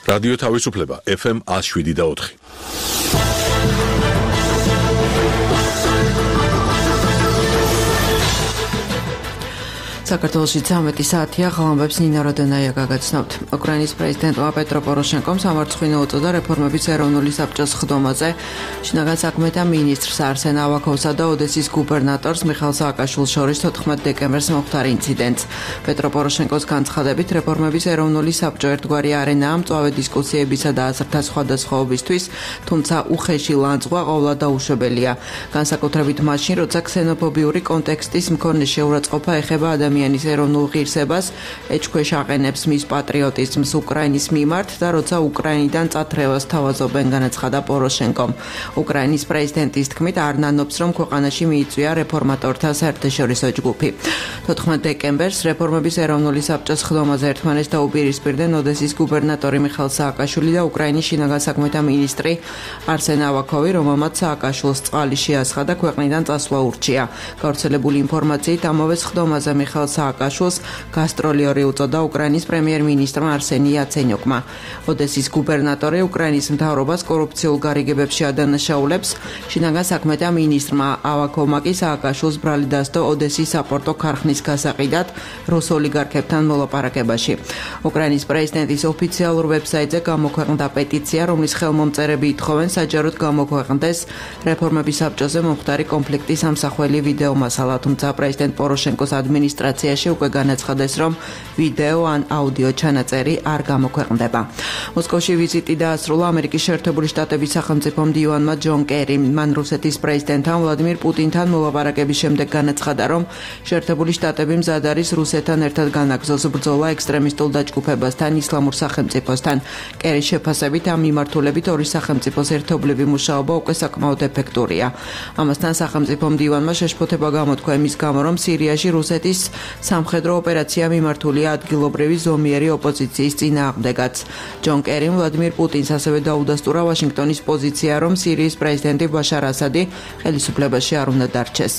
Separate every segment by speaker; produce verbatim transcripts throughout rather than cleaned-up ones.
Speaker 1: რადიო თავისუფლება ეფ ემ one oh seven და four.
Speaker 2: საქართველოში ცამეტი საათია, ღამბებს ნინა როდენაია გაგაცნობთ. უკრაინის პრეზიდენტმა პეტრო პოროშენკომ სამარცხვინო უწოდა რეფორმების ეროვნული საბჭოს ხდომაზე. შინაგან საქმეთა მინისტრს არსენ ავაკოვსა და ოდესის გუბერნატორს მიხაილ სააკაშვილის შორის თოთხმეტ დეკემბერს მოხდარ ინციდენტს. პეტრო პოროშენკოს განცხადებით, რეფორმების ეროვნული საბჭო ერთგვარი არენაა მწვავე დისკუსიებისა და აზრთა სხვადასხვაობისთვის, თუმცა უხეში ლანძღვა ყოვლად დაუშვებელია. განსაკუთრებით მაშინ, როცა ქსენოფობიური კონტექსტის მქონე შეურაცხყოფა ეხება ადამიანის ადამიანის ეროვნულ ღირსებას, ეჭქვეშ აყენებს მის პატრიოტიზმს უკრაინის მიმართ და როცა უკრაინიდან წათრევას თავაზობენ, განაცხადა პოროშენკომ. უკრაინის პრეზიდენტის თქმით, არ ნანობს, რომ ქვეყანაში მიიწვია რეფორმატორთა საერთაშორისო ჯგუფი. თოთხმეტ დეკემბერს რეფორმების ეროვნული საბჭოს ხდომაზე ერთმანეთს დაუპირისპირდნენ ოდესის გუბერნატორი მიხაილ სააკაშვილი და უკრაინის შინაგან საქმეთა მინისტრი არსენ ავაკოვი, რომელმაც სააკაშვილს წყალი შეასხა და ქვეყნიდან წასვლა ურჩია. გავრცელებული ინფორმაციით, ამავე ხდომაზე მიხაილ სააკაშვილს გასტროლიორი უწოდა უკრაინის პრემიერ-მინისტრმა არსენი იაცენიუკმა. ოდესის გუბერნატორი უკრაინის მთავრობას კორუფციულ გარიგებებში ადანაშაულებს. შინაგან საქმეთა მინისტრმა ავაკოვმა კი სააკაშვილს ბრალი დასდო ოდესის საპორტო ქარხნის გასაყიდად რუს ოლიგარქებთან მოლაპარაკებაში. უკრაინის პრეზიდენტის ოფიციალურ ვებსაიტზე გამოქვეყნდა პეტიცია, რომლის ხელმომწერები ითხოვენ საჯაროდ გამოქვეყნდეს რეფორმების საბჭოზე მომხდარი კონფლიქტის ამსახველი ვიდეო მასალა, თუმცა პრეზიდენტ პოროშენკოს ადმინისტრაცია უკვე განაცხადეს, რომ ვიდეო ან აუდიო ჩანაწერი არ გამოქვეყნდება. მოსკოვში ვიზიტი დაასრულა ამერიკის შეერთებული შტატების სახელმწიფო მდივანმა ჯონ კერიმ. მან რუსეთის პრეზიდენტთან ვლადიმირ პუტინთან მოლაპარაკების შემდეგ განაცხადა, რომ შეერთებული შტატები მზად არის რუსეთთან ერთად განაგრძოს ბრძოლა ექსტრემისტულ დაჯგუფებასთან, ისლამურ სახელმწიფოსთან. კერის შეფასებით, ამ მიმართულებით ორი სახელმწიფოს ერთობლივი მუშაობა უკვე საკმაოდ ეფექტურია. ამასთან სახელმწიფო მდივანმა შეშფოთება გამოთქვა იმის გამო, რომ სირიაში რუსეთის სამხედრო ოპერაცია მიმართულია ადგილობრივი ზომიერი ოპოზიციის წინააღმდეგაც. ჯონ კერიმ ვლადიმირ პუტინს ასევე დაუდასტურა ვაშინგტონის პოზიცია, რომ სირიის პრეზიდენტი ბაშარ ასადი ხელისუფლებაში არ უნდა დარჩეს.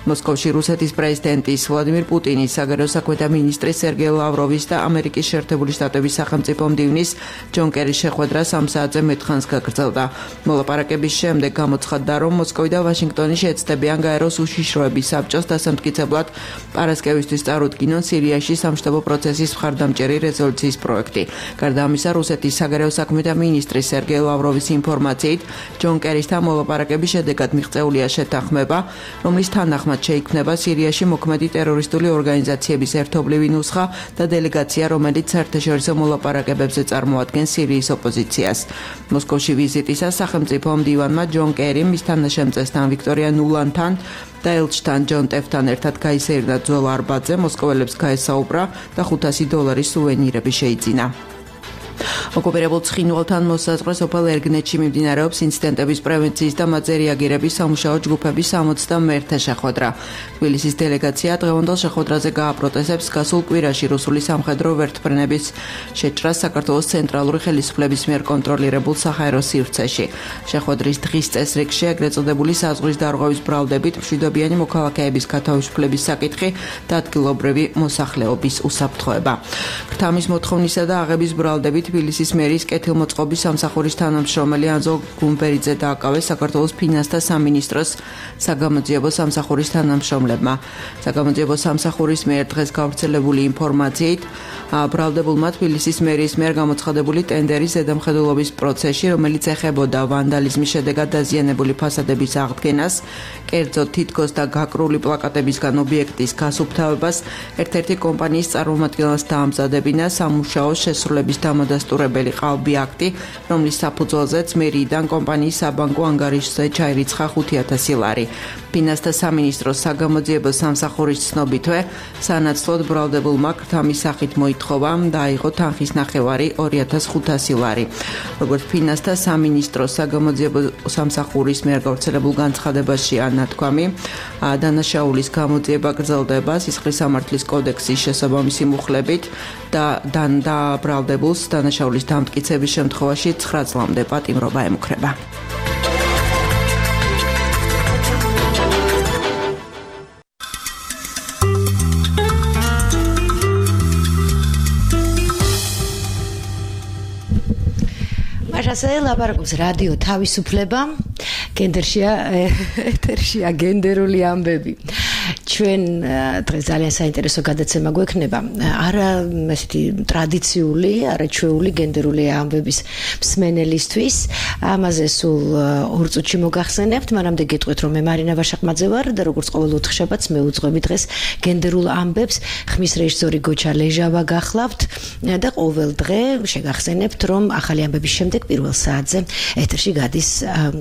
Speaker 2: მოსკოვში რუსეთის პრეზიდენტის ვლადიმირ პუტინის, საგარეო საქმეთა მინისტრის სერგეი ლავროვის და ამერიკის შეერთებული შტატების სახელმწიფო მდივნის ჯონ კერის შეხვედრა სამ საათზე მეტხანს გაგრძელდა. მოლაპარაკების შემდეგ გამოცხადდა, რომ მოსკოვი და ვაშინგტონი შეეცდებიან გაეროს უშიშროების საბჭოს დასამტკიცებლად პარასკევისთვის წარუდგინონ სირიაში სამშტაბო პროცესის მხარდამჭერი რეზოლუციის პროექტი. გარდა ამისა, რუსეთის საგარეო საქმეთა მინისტრის სერგეი ლავროვის ინფორმაციით, ჯონ კერისთან მოლაპარაკების შედეგად მიღწეულია შეთანხმება, რომლის თანახმად შეიქმნება სირიაში მოქმედი ტერორისტული ორგანიზაციების ერთობლივი ნუსხა და დელეგაცია, რომელიც საერთაშორისო მოლაპარაკებებზე წარმოადგენს სირიის ოპოზიციას. მოსკოვში ვიზიტისას სახელმწიფო მდივანმა ჯონ კერიმ მის თანაშემწესთან ვიქტორია ნულანთან და ელჩთან ჯონ ტეფთან ერთად გაისეირნა ძველ არბატზე, მოსკოველებს გაესაუბრა და ხუთასი დოლარის სუვენირები შეიძინა. ოკუპირებულ ცხინვალთან მოსაზღვრე სოფელ ერგნეთში მიმდინარეობს ინციდენტების პრევენციის და მათზე რეაგირების სამუშაო ჯგუფების სამოცდამეერთე შეხვედრა. თბილისის დელეგაცია დღევანდელ შეხვედრაზე გააპროტესტებს გასულ კვირაში რუსული სამხედრო ვერტმფრენების შეჭრას საქართველოს ცენტრალური ხელისუფლების მიერ კონტროლირებულ საჰაერო სივრცეში. შეხვედრის დღის წესრიგში ეგრეთ წოდებული საზღვრის დარღვევის ბრალდებით მშვიდობიანი მოქალაქეების გათავისუფლების საკითხი და ადგილობრივი მოსახლეობის უსაფრთხოება. ქრთამის მოთხოვნისა და აღების ბრალდებით თბილისის მერის კეთილმოწყობის სამსახურის თანამშრომელი ანზო გუმბერიძე დააკავეს საქართველოს ფინანსთა სამინისტროს საგამოძიებო სამსახურის თანამშრომლებმა. საგამოძიებო სამსახურის მიერ დღეს გავრცელებული ინფორმაციით, ბრალდებულმა თბილისის მერის მიერ გამოცხადებული ტენდერის ზედამხედველობის პროცესში, რომელიც ეხებოდა ვანდალიზმის შედეგად დაზიანებული ფასადების აღდგენას, კერძოდ თითქოს და გაკრული პლაკატებისგან ობიექტის გასუფთავებას, ერთ-ერთი კომპანიის წარმომადგენელს დაამზადებინა სამუშაო შესრულების დამადასტურებელი ყალბი აქტი, რომლის საფუძველზეც მერიიდან კომპანიის საბანკო ანგარიშზე ჩაირიცხა ხუთი ათასი ლარი. ფინანსთა სამინისტროს საგამოძიებო სამსახურის ცნობითვე, სანაცვლოდ ბრალდებულმა ქრთამის სახით მოითხოვა და აიღო თანხის ნახევარი ორი ათას ხუთასი ლარი. როგორც ფინანსთა სამინისტროს საგამოძიებო სამსახურის მიერ გავრცელებულ განცხადებაში ანათქვამი, დანაშაულის გამოძიება გრძელდება სისხლის სამართლის კოდექსის შესაბამისი მუხლებით და და ბრალდებულს დანაშაულის დამტკიცების შემთხვევაში ცხრა წლამდე პატიმრობა ემუქრება.
Speaker 3: ასე ლაპარაკობს რადიო თავისუფლება, გენდერშია ეთერშია გენდერული ამბები. ჩვენ დღეს ძალიან საინტერესო გადაცემა გვექნება. არა ესეთი ტრადიციული, არა ჩვეული გენდერული ამბების მსმენელისთვის. ამაზე სულ ორ წუთში მოგახსენებთ, მანამდე გეტყვით, რომ მე მარინა ვაშაყმაძე ვარ და როგორც ყოველ ოთხშაბათს მე უძღვები დღეს გენდერულ ამბებს. ხმის რეჟისორი გოჩა ლეჟავა გახლავთ და ყოველ დღე შეგახსენებთ, რომ ახალი ამბების შემდეგ პირველ საათზე ეთერში გადის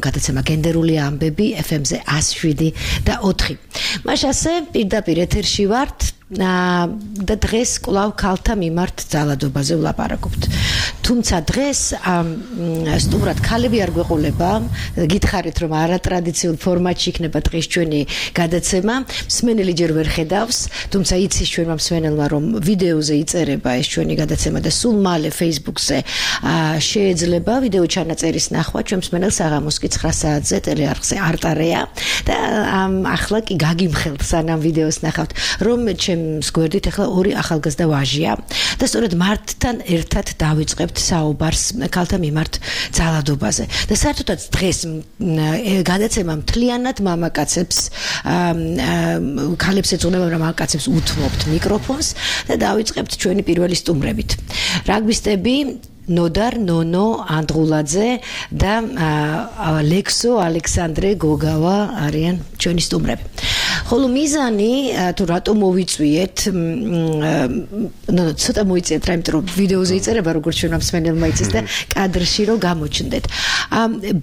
Speaker 3: გადაცემა გენდერული ამბები ეფ ემ-ზე ას შვიდი და ოთხი. მაშ ასე პირდაპირ ეთერში ვართ და დღეს კვლავ ქალთა მიმართ ძალადობაზე ვლაპარაკობთ. თუმცა დღეს სტუმრად ქალები არ გვეყოლება, გითხარით რომ არატრადიციულ ფორმატში იქნება დღეს ჩვენი გადაცემა. მსმენელი ჯერ ვერ ხედავს, თუმცა იცის ჩვენმა მსმენელმა რომ ვიდეოზე იწერება ეს ჩვენი გადაცემა და სულ მალე Facebook-ზე შეეძლება ვიდეო ჩანაწერის ნახვა. ჩვენ მსმენელს აღამოს კი ცხრა საათზე ტელეარხზე არტარეა და ახლა კი გაგიმხელთ სანამ ვიდეოს ნახავთ, რომ ჩემს გვერდით ახლა ორი ახალგაზრდა ვაჟია და სწორედ მართთან ერთად დავიწყებთ საუბარს ქალთა მიმართ ძალადობაზე. და საერთოდაც დღეს გადაცემა მთლიანად მამაკაცებს ქალებს ეძღვნება, რომ მამაკაცებს უთმობთ მიკროფონს და დავიწყებთ ჩვენი პირველი სტუმრებით. რაგბისტები ნოდარ ნონო ანდღულაძე და ლექსო ალექსანდრე გოგავა არიან ჩვენი სტუმრები. ხოლო მიზანი თუ რატო მოვიწვიეთ, ნუ ცოტა მოიწიეთ რა, იმიტომ რომ ვიდეოზე იწერება როგორც ჩვენმა მსმენელმა იცის და კადრში რომ გამოჩნდეთ.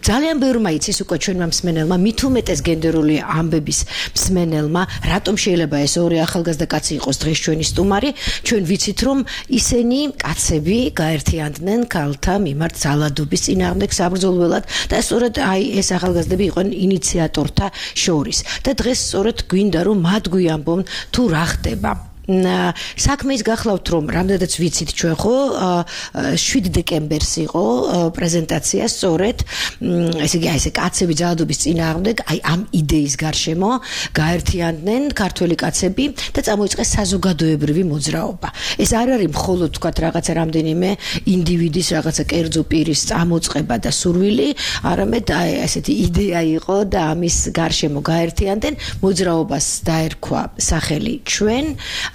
Speaker 3: ძალიან ბევრმა იცის უკვე ჩვენმა მსმენელმა, მით უმეტეს გენდერული ამბების მსმენელმა, რატომ შეიძლება ეს ორი ახალგაზრდა კაცი იყოს დღეს ჩვენი სტუმარი. ჩვენ ვიცით რომ ისინი კაცები გაერთიანდნენ ქალთა მიმართ ძალადობის წინააღმდეგ საბრძოლველად და სწორედ აი ეს ახალგაზრდები იყვნენ ინიციატორთა შორის. და დღეს სწორედ გვინდა რომ მათ გვიამბონ თუ რა ხდება. საქმე ის გახლავთ რომ რამდენადაც ვიცით ჩვენ ხო შვიდ დეკემბერს იყო პრეზენტაცია სწორედ ესე იგი აი ესე კაცები ძალადობის წინააღმდეგ აი ამ იდეის გარშემო გაერთიანდნენ ქართველი კაცები და წამოიწყეს საზოგადოებრივი მოძრაობა. ეს არ არის მხოლოდ თქვათ რაღაცა რამდენიმე ინდივიდის რაღაცა კერძო პირის წამოწყება და სურვილი, არამედ აი ესეთი იდეა იყო და ამის გარშემო გაერთიანდნენ, მოძრაობას დაერქვა სახელი ჩვენ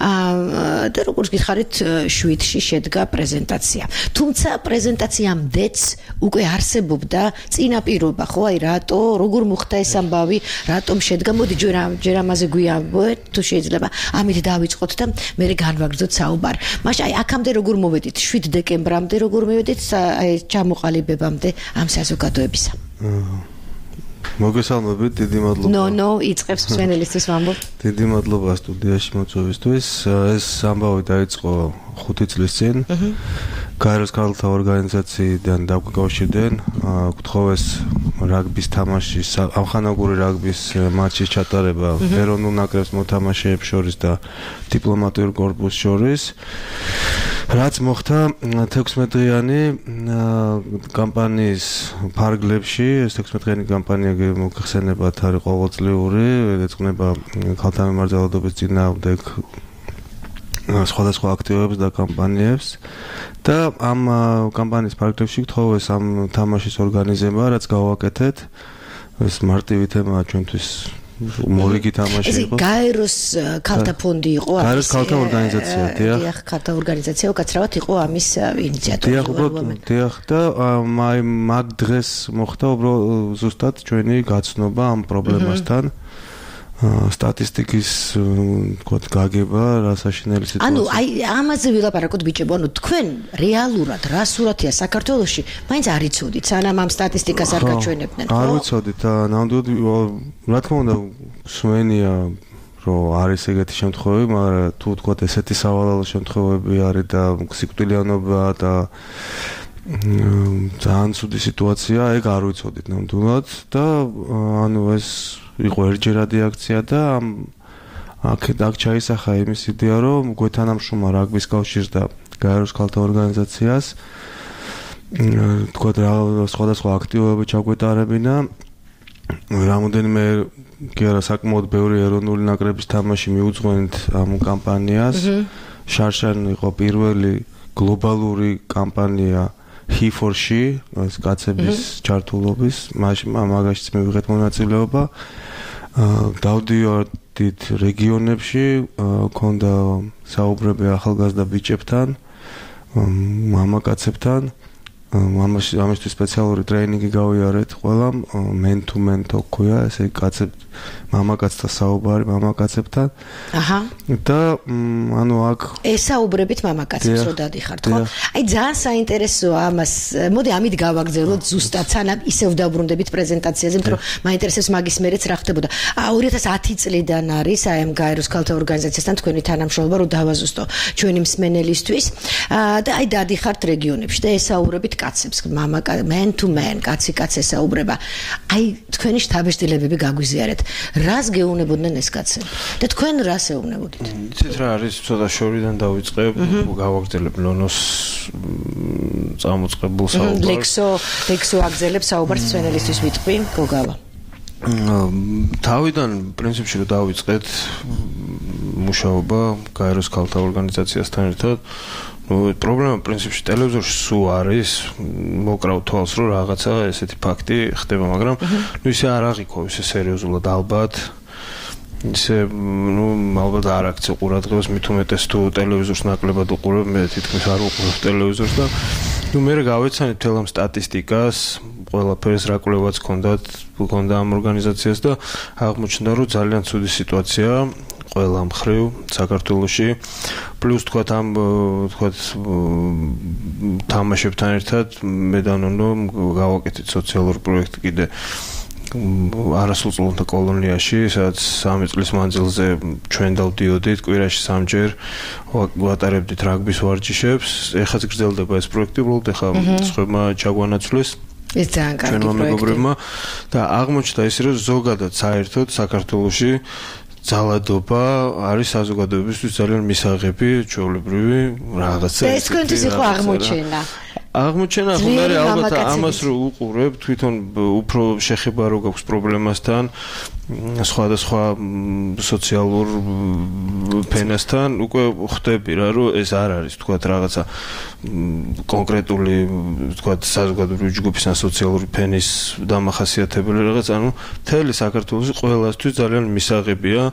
Speaker 3: და როგორც გითხარით შვიდში შედგა პრეზენტაცია. თუმცა პრეზენტაციამდეც უკვე არსებობდა წინაპირობა, ხო, აი რატო, როგორ მოხდა ეს ამბავი, რატომ შედგა, მოდი ჯერ ამაზე გვიამბოთ, თუ შეიძლება, ამით დავიწყოთ და მე განვაგრძოთ საუბარი. მაშინ აი აქამდე როგორ მოვედით, შვიდ დეკემბრამდე როგორ მოვედით აი ჩამოყალიბებამდე ამ საზოგადოებისა.
Speaker 4: მოგესალმებით, დიდი მადლობა.
Speaker 3: ნო, ნო, იწყებს მსმენელისთვის ვამბობ.
Speaker 4: დიდი მადლობა სტუდიაში მოწვევისთვის. ეს ამბავი დაიწყო ხუთი წლის წინ. გაეროს ქალთა ორგანიზაციიდან დაგვიკავშირდნენ, გთხოვეს რაგბის თამაშის, ამხანაგური რაგბის მატჩის ჩატარება ეროვნულ ნაკრებს მოთამაშეებს შორის და დიპლომატიურ კორპუსს შორის. რაც მოხდა თექვსმეტდღიანი კამპანიის ფარგლებში, ეს თექვსმეტდღიანი კამპანია მოგხსენებათ არის ყოველწლიური, ეძღვნება ქალთა მიმართ ძალადობის წინააღმდეგ სხვადასხვა აქტივობებს და კამპანიებს და ამ კამპანიის ფარგლებში გთხოვეს ამ თამაშის ორგანიზება, რაც გავაკეთეთ. ეს მარტივი თემაა ჩვენთვის. მორიგი თამაში იყო.
Speaker 3: ეს გაეროს ქალთა ფონდი იყო,
Speaker 4: ამის გაეროს ქალთა ორგანიზაცია, დიახ.
Speaker 3: დიახ, ქალთა ორგანიზაცია, უკაცრავად იყო ამის ინიციატორი.
Speaker 4: დიახ, უბრალოდ, დიახ და აი მაგ დღეს მოხდა უბრალოდ ზუსტად ჩვენი გაცნობა ამ პრობლემასთან. სტატისტიკის თქვა გაგება რა საშინელი სიტუაცია.
Speaker 3: ანუ აი ამაზე ვილაპარაკოთ ბიჭებო, ანუ თქვენ რეალურად რა სურათია საქართველოში, მაინც არ იცოდით, სანამ ამ სტატისტიკას არ გაჩვენებდნენ, ხო?
Speaker 4: არ ვიცოდით და ნამდვილად რა თქმა უნდა სვენია რომ არის ეგეთი შემთხვევები, მაგრამ თუ თქვა ესეთი სავალალო შემთხვევები არის და სიკვდილიანობა და ძალიან ცუდი სიტუაცია, ეგ არ ვიცოდით ნამდვილად და ანუ ეს იყო ერთჯერადი აქცია და აქ აქ ჩაისახა იმის იდეა, რომ გვეთანამშრომლა რაგბის კავშირს და გაეროს ქალთა ორგანიზაციას თქვა რა სხვადასხვა აქტივობები ჩაგვეტარებინა. რამოდენიმე კი არა საკმაოდ ბევრი ეროვნული ნაკრების თამაში მიუძღვენთ ამ კამპანიას. შარშან იყო პირველი გლობალური კამპანია he for she ეს კაცების ჩართულობის მაგაშიც მე ვიღეთ მონაწილეობა დავდიოდით რეგიონებში ქონდა საუბრები ახალგაზრდა ბიჭებთან მამაკაცებთან ამაში ამისთვის სპეციალური ტრეინინგი გავიარეთ ყველამ men to men to ქვია ესე კაცებ მამაკაცთა საუბარი მამაკაცებთან
Speaker 3: აჰა
Speaker 4: და ანუ აქ
Speaker 3: ესაუბრებით მამაკაცებს რო დადიხართ ხო აი ძალიან საინტერესოა ამას მოდი ამით გავაგზავნოთ ზუსტად სანამ ისევ დავბრუნდებით პრეზენტაციაზე იმიტომ რომ მაინტერესებს მაგის მერეც რა ხდებოდა ორი ათას ათი წლიდან არის აი ამ გაეროს ქალთა ორგანიზაციასთან თქვენი თანამშრომლობა რო დავაზუსტო ჩვენი მსმენელისთვის და აი დადიხართ რეგიონებში და ესაუბრებით კაცებს მამაკა men to men კაცი კაცს ესაუბრება აი თქვენი შთაბეჭდილებები გაგვიზიარეთ რას გეუნებოდნენ ეს კაცები და თქვენ რას ეუბნებოდით
Speaker 5: იცით რა არის ცოტა შორიდან დავიწყებ გავაგრძელებ ნონოს წამოწყებულ საუბარს
Speaker 3: ლექსო ლექსო აგზელებს საუბარს მსმენელისთვის ვიტყვი გოგავა
Speaker 5: თავიდან პრინციპში რომ დავიწყეთ მუშაობა გაეროს ქალთა ორგანიზაციასთან ერთად ну პრობლემა პრინციპში ტელევიზორში სულ არის მოკრავ თვალს რომ რაღაცა ესეთი ფაქტი ხდება მაგრამ ну ისე არ აღიქო ისე სერიოზულად ალბათ ისე ну ალბათ არ აქცე ყურადღებას მით უმეტეს თუ ტელევიზორს ნაკლებად უყურებ მე თითქმის არ უყურებ ტელევიზორს და ну მე გავეცანით თელ ამ სტატისტიკას ყველაფერს რა კვლევაც ჰქონდათ ჰქონდა ამ ორგანიზაციას და აღმოჩნდა რომ ძალიან ცუდი სიტუაციაა ყველა მხრივ საქართველოში პლუს თქვათ ამ თქვათ თამაშებთან ერთად მე და ნონო გავაკეთეთ სოციალური პროექტი კიდე არასრულწლოვანთა კოლონიაში სადაც სამი წლის მანძილზე ჩვენ დავდიოდით კვირაში სამჯერ ვატარებდით რაგბის ვარჯიშებს ეხაც გრძელდება ეს პროექტი უბრალოდ ეხა სხვებმა ჩაგვანაცვლეს
Speaker 3: ეს ძალიან კარგი პროექტი
Speaker 5: და აღმოჩნდა ისე რომ ზოგადად საერთოდ საქართველოში ძალადობა არის საზოგადოებისთვის ძალიან მისაღები, ჩვეულებრივი რაღაცა.
Speaker 3: ეს თქვენთვის იყო აღმოჩენა.
Speaker 5: აღმოჩენა ხომ არის ალბათ ამას რო უყურებ, თვითონ უფრო შეხება რო გაქვს პრობლემასთან, სხვადასხვა სოციალურ ფენასთან, უკვე ხვდები რა, რომ ეს არ არის, თქვათ რაღაცა კონკრეტული, თქვათ საზოგადოებრივი ჯგუფის ან სოციალური ფენის დამახასიათებელი რაღაც, ანუ მთელი საქართველოში ყველასთვის ძალიან მისაღებია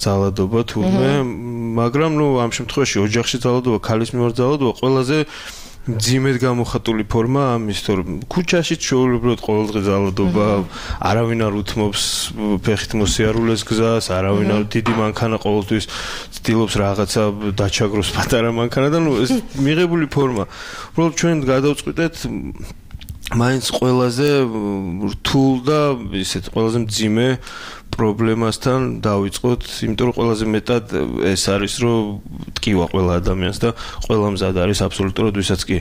Speaker 5: ძალადობა თურმე, მაგრამ ნუ ამ შემთხვევაში ოჯახში ძალადობა, ქალის მიმართ ძალადობა ყველაზე ძიმედ გამოხატული ფორმა ამის თორემ ქუჩაში ჩვეულებრივად ყოველდღე ძალადობა არავინ არ უთმობს ფეხით მოსიარულეს გზას არავინ არ დიდი მანქანა ყოველთვის ცდილობს რაღაცა დაჩაგროს პატარა მანქანა და ნუ ეს მიღებული ფორმა უბრალოდ ჩვენ გადავწყვიტეთ მაინც ყველაზე რთულ და ისეთ ყველაზე მძიმე პრობლემასთან დავიწყოთ, იმიტომ რომ ყველაზე მეტად ეს არის, რომ ტკივა ყველა ადამიანს და ყველა მზად არის აბსოლუტურად ვისაც კი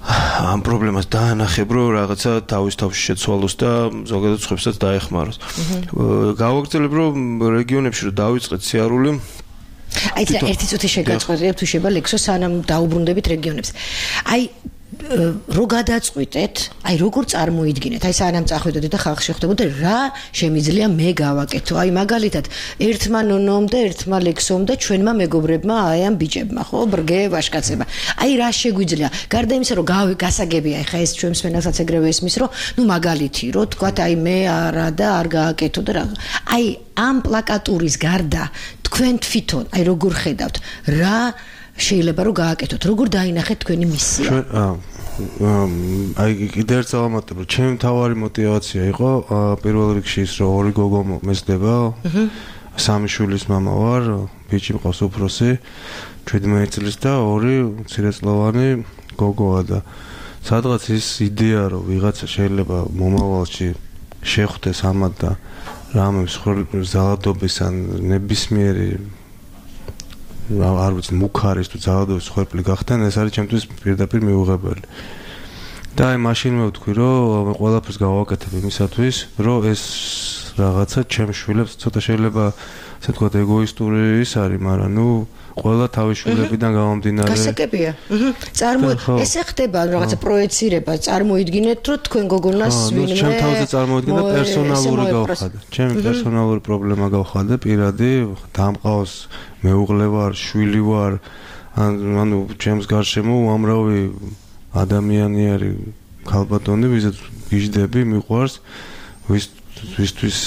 Speaker 5: ამ პრობლემას დაანახებ, რომ რაღაცა თავის თავში შეცვალოს და ზოგადად სხვებსაც დაეხმაროს. გავაგრძელებ, რომ რეგიონებში რომ დავიწყეთ სიარული
Speaker 3: აი და ერთი წუთი შეგაწყვეტიებ თუ შეიძლება ლექსო სანამ დაუბრუნდებით რეგიონებს. აი რო გადაწყვიტეთ, აი როგორ წარმოიდგინეთ, აი სანამ წახვიდოდით და ხალხი შეხვდებოდა რა შემიძლია მე გავაკეთო. აი მაგალითად, ერთმა ნონომ და ერთმა ლექსომ და ჩვენმა მეგობრებმა აი ამ ბიჭებმა, ხო, ბრგე ვაშკაცება. აი რა შეგვიძლია? გარდა იმისა, რომ გასაგებია, ეხა ეს ჩვენს მენასაც ეგრევე ესმის, რომ ნუ მაგალითი, რომ თქვათ აი მე არა და არ გააკეთო და რა. აი ამ პლაკატურის გარდა თქვენ თვითონ აი როგორ ხედავთ? რა შეიძლება რომ გააკეთოთ, როგორ დაინახეთ თქვენი მისია?
Speaker 4: აი კიდევ ერთ წამატებ, რომ ჩემი მთავარი мотиваცია იყო პირველ რიგში ის, რომ ორი გოგო მეძდება. სამი შვილის მამა ვარ, ბიჭი მყავს უფროსი, შვიდმეტი წლის და ორი მცირეწლოვანი გოგოა და სადღაც ის იდეა, რომ ვიღაცა შეიძლება მომავალში შეხვდეს ამათ და რამე ზალადობის ან ნებისმიერი არ ვიცი მუქარის თუ ძალადობის ხერხი გახდნენ ეს არის ჩემთვის პირდაპირ მიუღებელი და აი მაშინ მე ვთქვი რომ ყველაფერს გავაკეთებ იმისათვის რომ ეს რაღაცა ჩემ შვილებს ცოტა შეიძლება ასე თქვა ეგოისტური ის არის მაგრამ ნუ ყველა თავის შვილებიდან გამომდინარე
Speaker 3: გასაგებია წარმო ესე ხდება რაღაცა პროექცირება წარმოიდგინეთ რომ თქვენ გოგონას ვინმე
Speaker 4: ჩემ თავზე წარმოიდგინე პერსონალური გავხადე ჩემი პერსონალური პრობლემა გავხადე პირადი დამყავს მეუღლე ვარ შვილი ვარ ანუ ჩემს გარშემო უამრავი ადამიანი არის ქალბატონი, ვიზაც გიждები, მიყვარს, ვის ვისთვის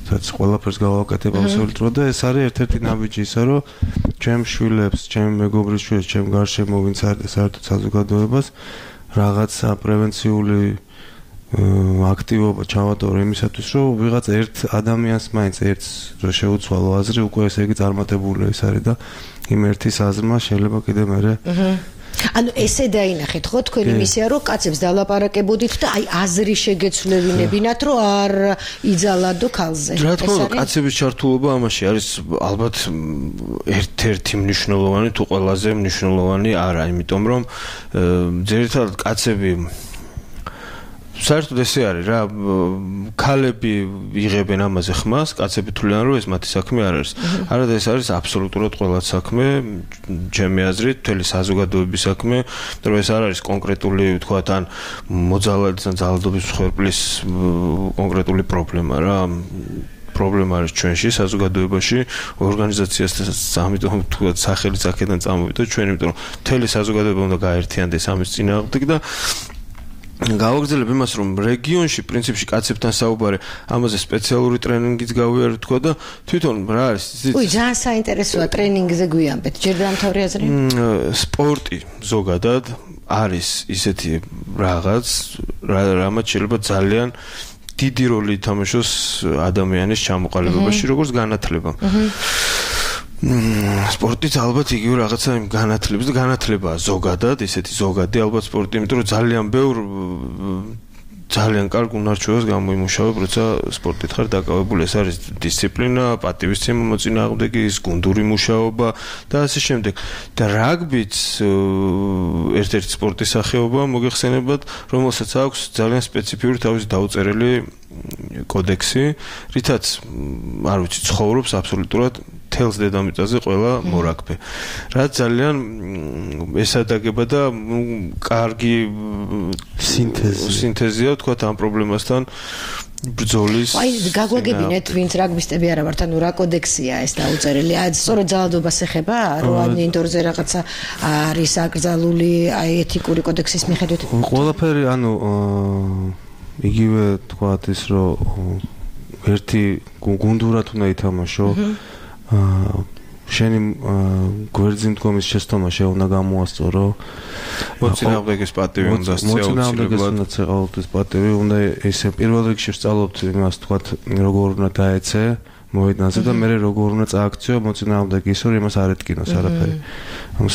Speaker 4: რაც ყველაფერს გავაკეთებ აბსოლუტურად და ეს არის ერთ-ერთი ნაბიჯი ისა, რომ ჩემ შვილებს, ჩემ მეგობრის შვილებს, ჩემ გარშემო ვინც არის საერთოდ საზოგადოებას რაღაცა პრევენციული აქტივობა ჩავატარო იმისათვის, რომ ვიღაც ერთ ადამიანს მაინც ერთს რო შეუცვალო აზრი, უკვე ესე იგი წარმატებული ის არის და იმ ერთის აზრმა შეიძლება კიდე მერე
Speaker 3: ანუ ესე დაინახეთ ხო თქვენი მისია რომ კაცებს დალაპარაკებოდით და აი აზრი შეგეცვლევინებინათ რომ არ იძალადო ქალზე.
Speaker 5: რა თქმა უნდა კაცების ჩართულობა ამაში არის ალბათ ერთ-ერთი მნიშვნელოვანი თუ ყველაზე მნიშვნელოვანი არა, იმიტომ რომ ძირითადად კაცები საერთოდ ესე არის რა ქალები იღებენ ამაზე ხმას, კაცები თვლიან რომ ეს მათი საქმე არ არის. არადა ეს არის აბსოლუტურად ყველას საქმე, ჩემი აზრით, მთელი საზოგადოების საქმე, რომ ეს არ არის კონკრეტული, ვთქვათ, ან მოძალადის ან ძალადობის მსხვერპლის კონკრეტული პრობლემა რა. პრობლემა არის ჩვენში საზოგადოებაში, ორგანიზაციასაც ამიტომ ვთქვათ, სახელიც აქედან წამოვიდა ჩვენ, იმიტომ რომ მთელი საზოგადოება უნდა გაერთიანდეს ამის წინააღმდეგ და გავაგრძელებ იმას, რომ რეგიონში პრინციპში კაცებთან საუბარი, ამაზე სპეციალური ტრენინგიც გავიარეთ თქვა და თვითონ რა არის?
Speaker 3: უი, ძალიან საინტერესოა ტრენინგზე გვიამბეთ. ჯერ დამთავრე აზრი?
Speaker 5: სპორტი ზოგადად არის ისეთი რაღაც, რამაც შეიძლება ძალიან დიდი როლი ითამაშოს ადამიანის ჩამოყალიბებაში, როგორც განათლება. სპორტიც ალბათ იგივე რაღაცა იმ განათლებას და განათლებაა ზოგადად, ისეთი ზოგადი ალბათ სპორტი, იმიტომ რომ ძალიან ბევრ ძალიან კარგ უნარჩვევას გამოიმუშავებ, როცა სპორტით ხარ დაკავებული. ეს არის დისციპლინა, პატივისცემა მოწინააღმდეგე, ის გუნდური მუშაობა და ასე შემდეგ. და რაგბიც ერთ-ერთი სპორტის სახეობა მოგეხსენებათ, რომელსაც აქვს ძალიან სპეციფიური თავისი დაუწერელი კოდექსი, რითაც არ ვიცი, ცხოვრობს აბსოლუტურად თელს დედამიწაზე ყველა მორაგბე. რაც ძალიან ესადაგება და კარგი სინთეზი სინთეზია თქვათ ამ პრობლემასთან ბრძოლის.
Speaker 3: აი გაგვაგებინეთ ვინც რაგბისტები არა ვართ, ანუ რა კოდექსია ეს დაუწერელი? აი სწორედ ძალადობას ეხება, რომ ან ინდორზე რაღაცა არის აკრძალული აი ეთიკური კოდექსის მიხედვით?
Speaker 4: ყველაფერი ანუ იგივე თქვათ ის რომ ერთი გუნდურად უნდა ითამაშო. აა შენი გვერდზე მდგომის შეცდომა შეუნა გამოასწორო.
Speaker 5: მოწინააღმდეგეს პატივი უნდა სწავლოთ.
Speaker 4: მოწინააღმდეგეს უნდა სწავლოთ პატივი, უნდა ესე პირველ რიგში სწავლოთ იმას თქვათ როგორ უნდა დაეცე მოედანზე და მე როგორ უნდა წააქციო მოწინააღმდეგე ისე რომ იმას არ ეთკინოს არაფერი. ანუ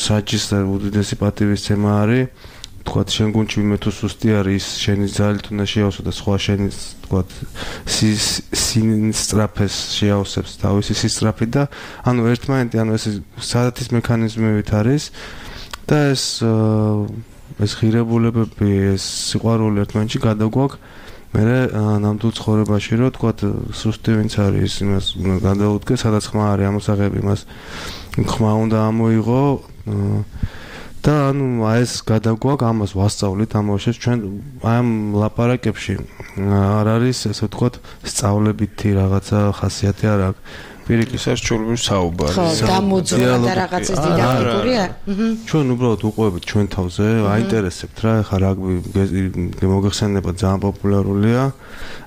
Speaker 4: საჯის და უდიდესი პატივისცემა არის თქვათ შენ გუნდში ვინმე თუ სუსტი არის შენი ძალით უნდა შეავსო და სხვა შენი თქვათ სინსტრაფეს შეავსებს თავისი სისტრაფით და ანუ ერთმანეთი ანუ ეს სადათის მექანიზმებით არის და ეს ეს ღირებულებები ეს სიყვარული ერთმანეთში გადაგვაქვს მე ნამდვილ ცხოვრებაში რომ თქვათ სუსტი ვინც არის იმას გადაუდგე სადაც ხმა არის ამოსაღები იმას ხმა უნდა ამოიღო და ანუ აი ეს გადაგვაქვს ამას ვასწავლით ამაში ჩვენ აი ამ ლაპარაკებში არ არის ესე ვთქვათ სწავლებითი რაღაცა ხასიათი არ აქვს პირიქით
Speaker 5: ეს ჩვენი საუბარი
Speaker 3: ხო დამოძრა და რაღაცის დიდაქტიკურია
Speaker 4: ჩვენ უბრალოდ უყურებთ ჩვენ თავზე აინტერესებთ რა ხა რაგბი მოგეხსენება ძალიან პოპულარულია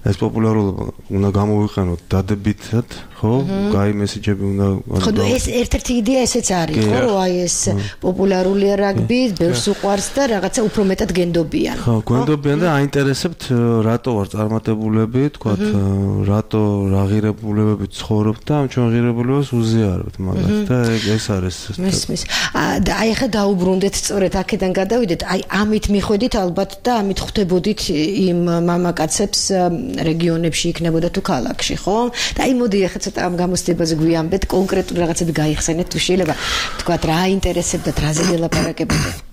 Speaker 4: ეს პოპულარულობა უნდა გამოვიყენოთ დადებითად ხო გაი მესიჯები უნდა
Speaker 3: ხო ეს ერთ-ერთი იდეა ესეც არის ხო რომ აი ეს პოპულარულია რაგბი ბევრს უყვარს და რაღაცა უფრო მეტად გენდობიან
Speaker 4: ხო გენდობიან და აინტერესებთ რატო ვარ წარმატებულები თქვათ რატო რა ღირებულებებით ცხოვრობ და ჩვენ ღირებულებას უზიარებთ მაგას და ეს არის
Speaker 3: მისმის და აი ხა დაუბრუნდეთ სწორედ აქედან გადავიდეთ აი ამით მიხვედით ალბათ და ამით ხვდებოდით იმ მამაკაცებს რეგიონებში იქნებოდა თუ ქალაქში ხო და აი მოდი ახლა ცოტა ამ გამოცდებაზე გვიამბეთ კონკრეტული რაღაცები გაიხსენეთ თუ შეიძლება თქვათ რა აინტერესებდათ რაზე გელაპარაკებოდეთ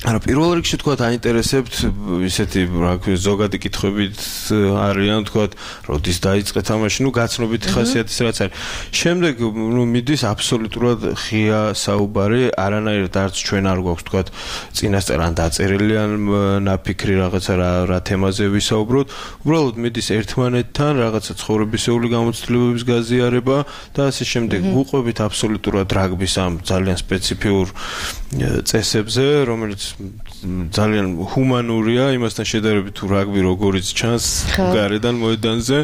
Speaker 5: არა პირველ რიგში თქვათ აინტერესებთ ისეთი რა ქვია ზოგადი კითხვებით არიან თქვათ როდის დაიწყეთ ამაში ნუ გაცნობითი ხასიათის რაც არის შემდეგ ნუ მიდის აბსოლუტურად ღია საუბარი არანაირად არც ჩვენ არ გვაქვს თქვათ წინასწარ ან დაწერილი ან ნაფიქრი რაღაცა რა რა თემაზე ვისაუბროთ უბრალოდ მიდის ერთმანეთთან რაღაცა ცხოვრებისეული გამოცდილებების გაზიარება და ასე შემდეგ ვუყვებით აბსოლუტურად რაგბის ამ ძალიან სპეციფიურ წესებზე რომელიც ძალიან ჰუმანურია იმასთან შედარებით თუ რაგბი როგორიც ჩანს გარედან მოედანზე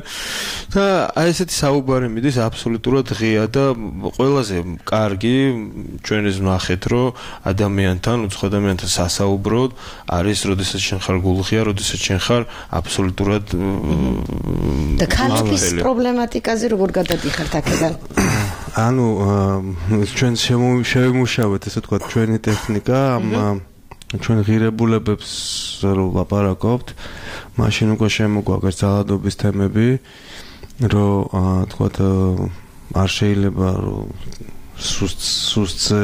Speaker 5: და აი ესეთი საუბარი მიდის აბსოლუტურად ღია და ყველაზე კარგი ჩვენ ეს ვნახეთ რომ ადამიანთან უცხო ადამიანთან სასაუბროდ არის როდესაც შენ ხარ გულღია როდესაც შენ ხარ აბსოლუტურად
Speaker 3: და ქალების პრობლემატიკაზე როგორ გადადიხართ აქედან
Speaker 4: ანუ ჩვენ შევიმუშავეთ ესე თქვა ჩვენი ტექნიკა ამ ჩვენ ღირებულებებს რომ ლაპარაკობთ მაშინ უკვე შემოგვაგეს ძალადობის თემები რომ თქვა არ შეიძლება რომ სუსტზე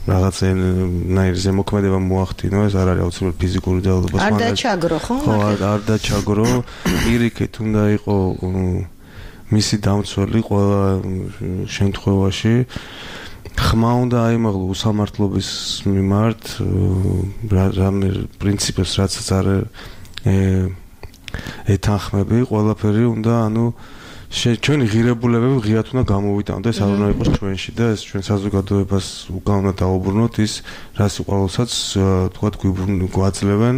Speaker 4: რაღაცნაირი ზემოქმედება მოახდინო ეს არ არის აუცილებლად ფიზიკური ძალადობა
Speaker 3: არ დაჩაგრო ხო
Speaker 4: ხო არ დაჩაგრო პირიქით უნდა იყო მისი დამცველი ყველა შემთხვევაში ხმა უნდა აიმაღლო უსამართლობის მიმართ რამე პრინციპებს რაც არ ეთანხმები ყველაფერი უნდა ანუ ჩვენი ღირებულებები ღიად უნდა გამოვიტანოთ და ეს არ უნდა იყოს ჩვენში და ეს ჩვენ საზოგადოებას უკან უნდა დაუბრუნოთ ის რაც ყოველსაც თქვა გვაძლევენ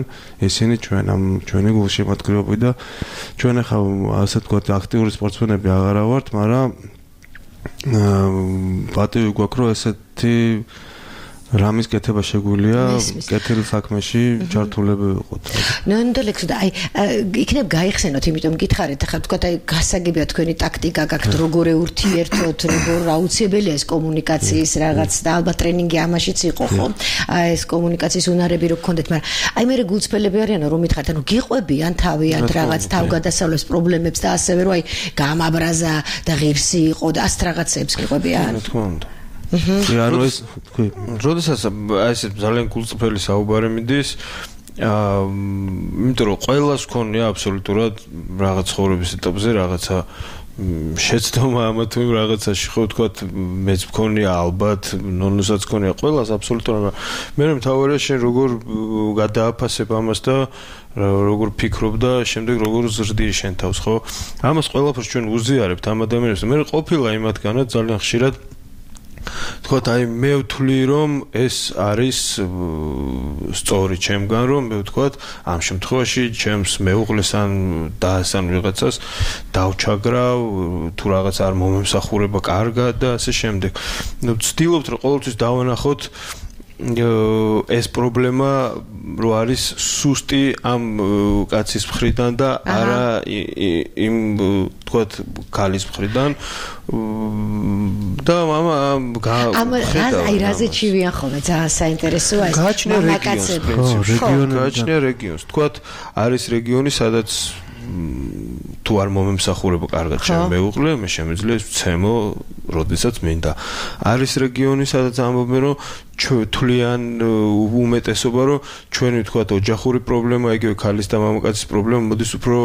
Speaker 4: ისინი ჩვენ ამ ჩვენი გულშემატკივრები და ჩვენ ახლა ასე თქვა აქტიური სპორტსმენები აღარა ვართ მაგრამ პატივი გვაქვს რომ ესეთი რამის კეთება შეგვიძლია კეთილ საქმეში ჩართულები ვიყოთ.
Speaker 3: ნამდვილად და აი იქნებ გაიხსენოთ, იმიტომ გითხარით ახლა თქვა აი გასაგებია თქვენი ტაქტიკა გაქვთ როგორ ურთიერთოთ, როგორ აუცილებელია ეს კომუნიკაციის რაღაც და ალბათ ტრენინგი ამაშიც იყო ხო? აი ეს კომუნიკაციის უნარები რო გქონდეთ, მაგრამ აი მე გულწრფელები არიანო რომ მითხარით, ანუ გიყვებიან თავიანთ რაღაც თავგადასავლების პრობლემებს და ასევე რომ აი გამაბრაზა და ღირსი იყო და ასეთ რაღაცებს გიყვებიან.
Speaker 5: რა თქმა უნდა. ანუ ეს თქვი, როდესაც აი ეს ძალიან გულწრფელი საუბარი მიდის, აა, იმიტომ რომ ყველას ქონია აბსოლუტურად რაღაც ცხოვრების ეტაპზე რაღაცა შეცდომა ამა თუ იმ რაღაცაში ხო ვთქვათ, მეც მქონია ალბათ, ნონუსაც მქონია ყველას აბსოლუტურად. მე მთავარია შენ როგორ გადააფასებ ამას და როგორ ფიქრობ და შემდეგ როგორ ზრდი შენ თავს, ხო? ამას ყველაფერს ჩვენ უზიარებთ ამ ადამიანებს. მე ყოფილა იმათგანაც ძალიან ხშირად თქვათ აი მე ვთვლი რომ ეს არის სწორი ჩემგან რომ მე ვთქვათ ამ შემთხვევაში ჩემს მეუღლეს ან დას ან ვიღაცას დავჩაგრავ თუ რაღაც არ მომემსახურება კარგად და ასე შემდეგ. ნუ ვცდილობთ რომ ყოველთვის დავანახოთ ეს პრობლემა რო არის სუსტი ამ კაცის მხრიდან და არა იმ თქვათ ქალის მხრიდან და მამა
Speaker 3: ამ აი რაზე ჩივიან ხოლმე ძალიან საინტერესოა ეს
Speaker 5: მამაკაცები გააჩნია რეგიონს თქვათ არის რეგიონი სადაც თუ არ მომემსახურება კარგად ჩემ მეუღლე მე შემიძლია ვცემო როდესაც მინდა არის რეგიონი სადაც ამბობენ რომ თვლიან უმეტესობა რომ ჩვენი თქვათ ოჯახური პრობლემა იგივე ქალის და მამაკაცის პრობლემა მოდის უფრო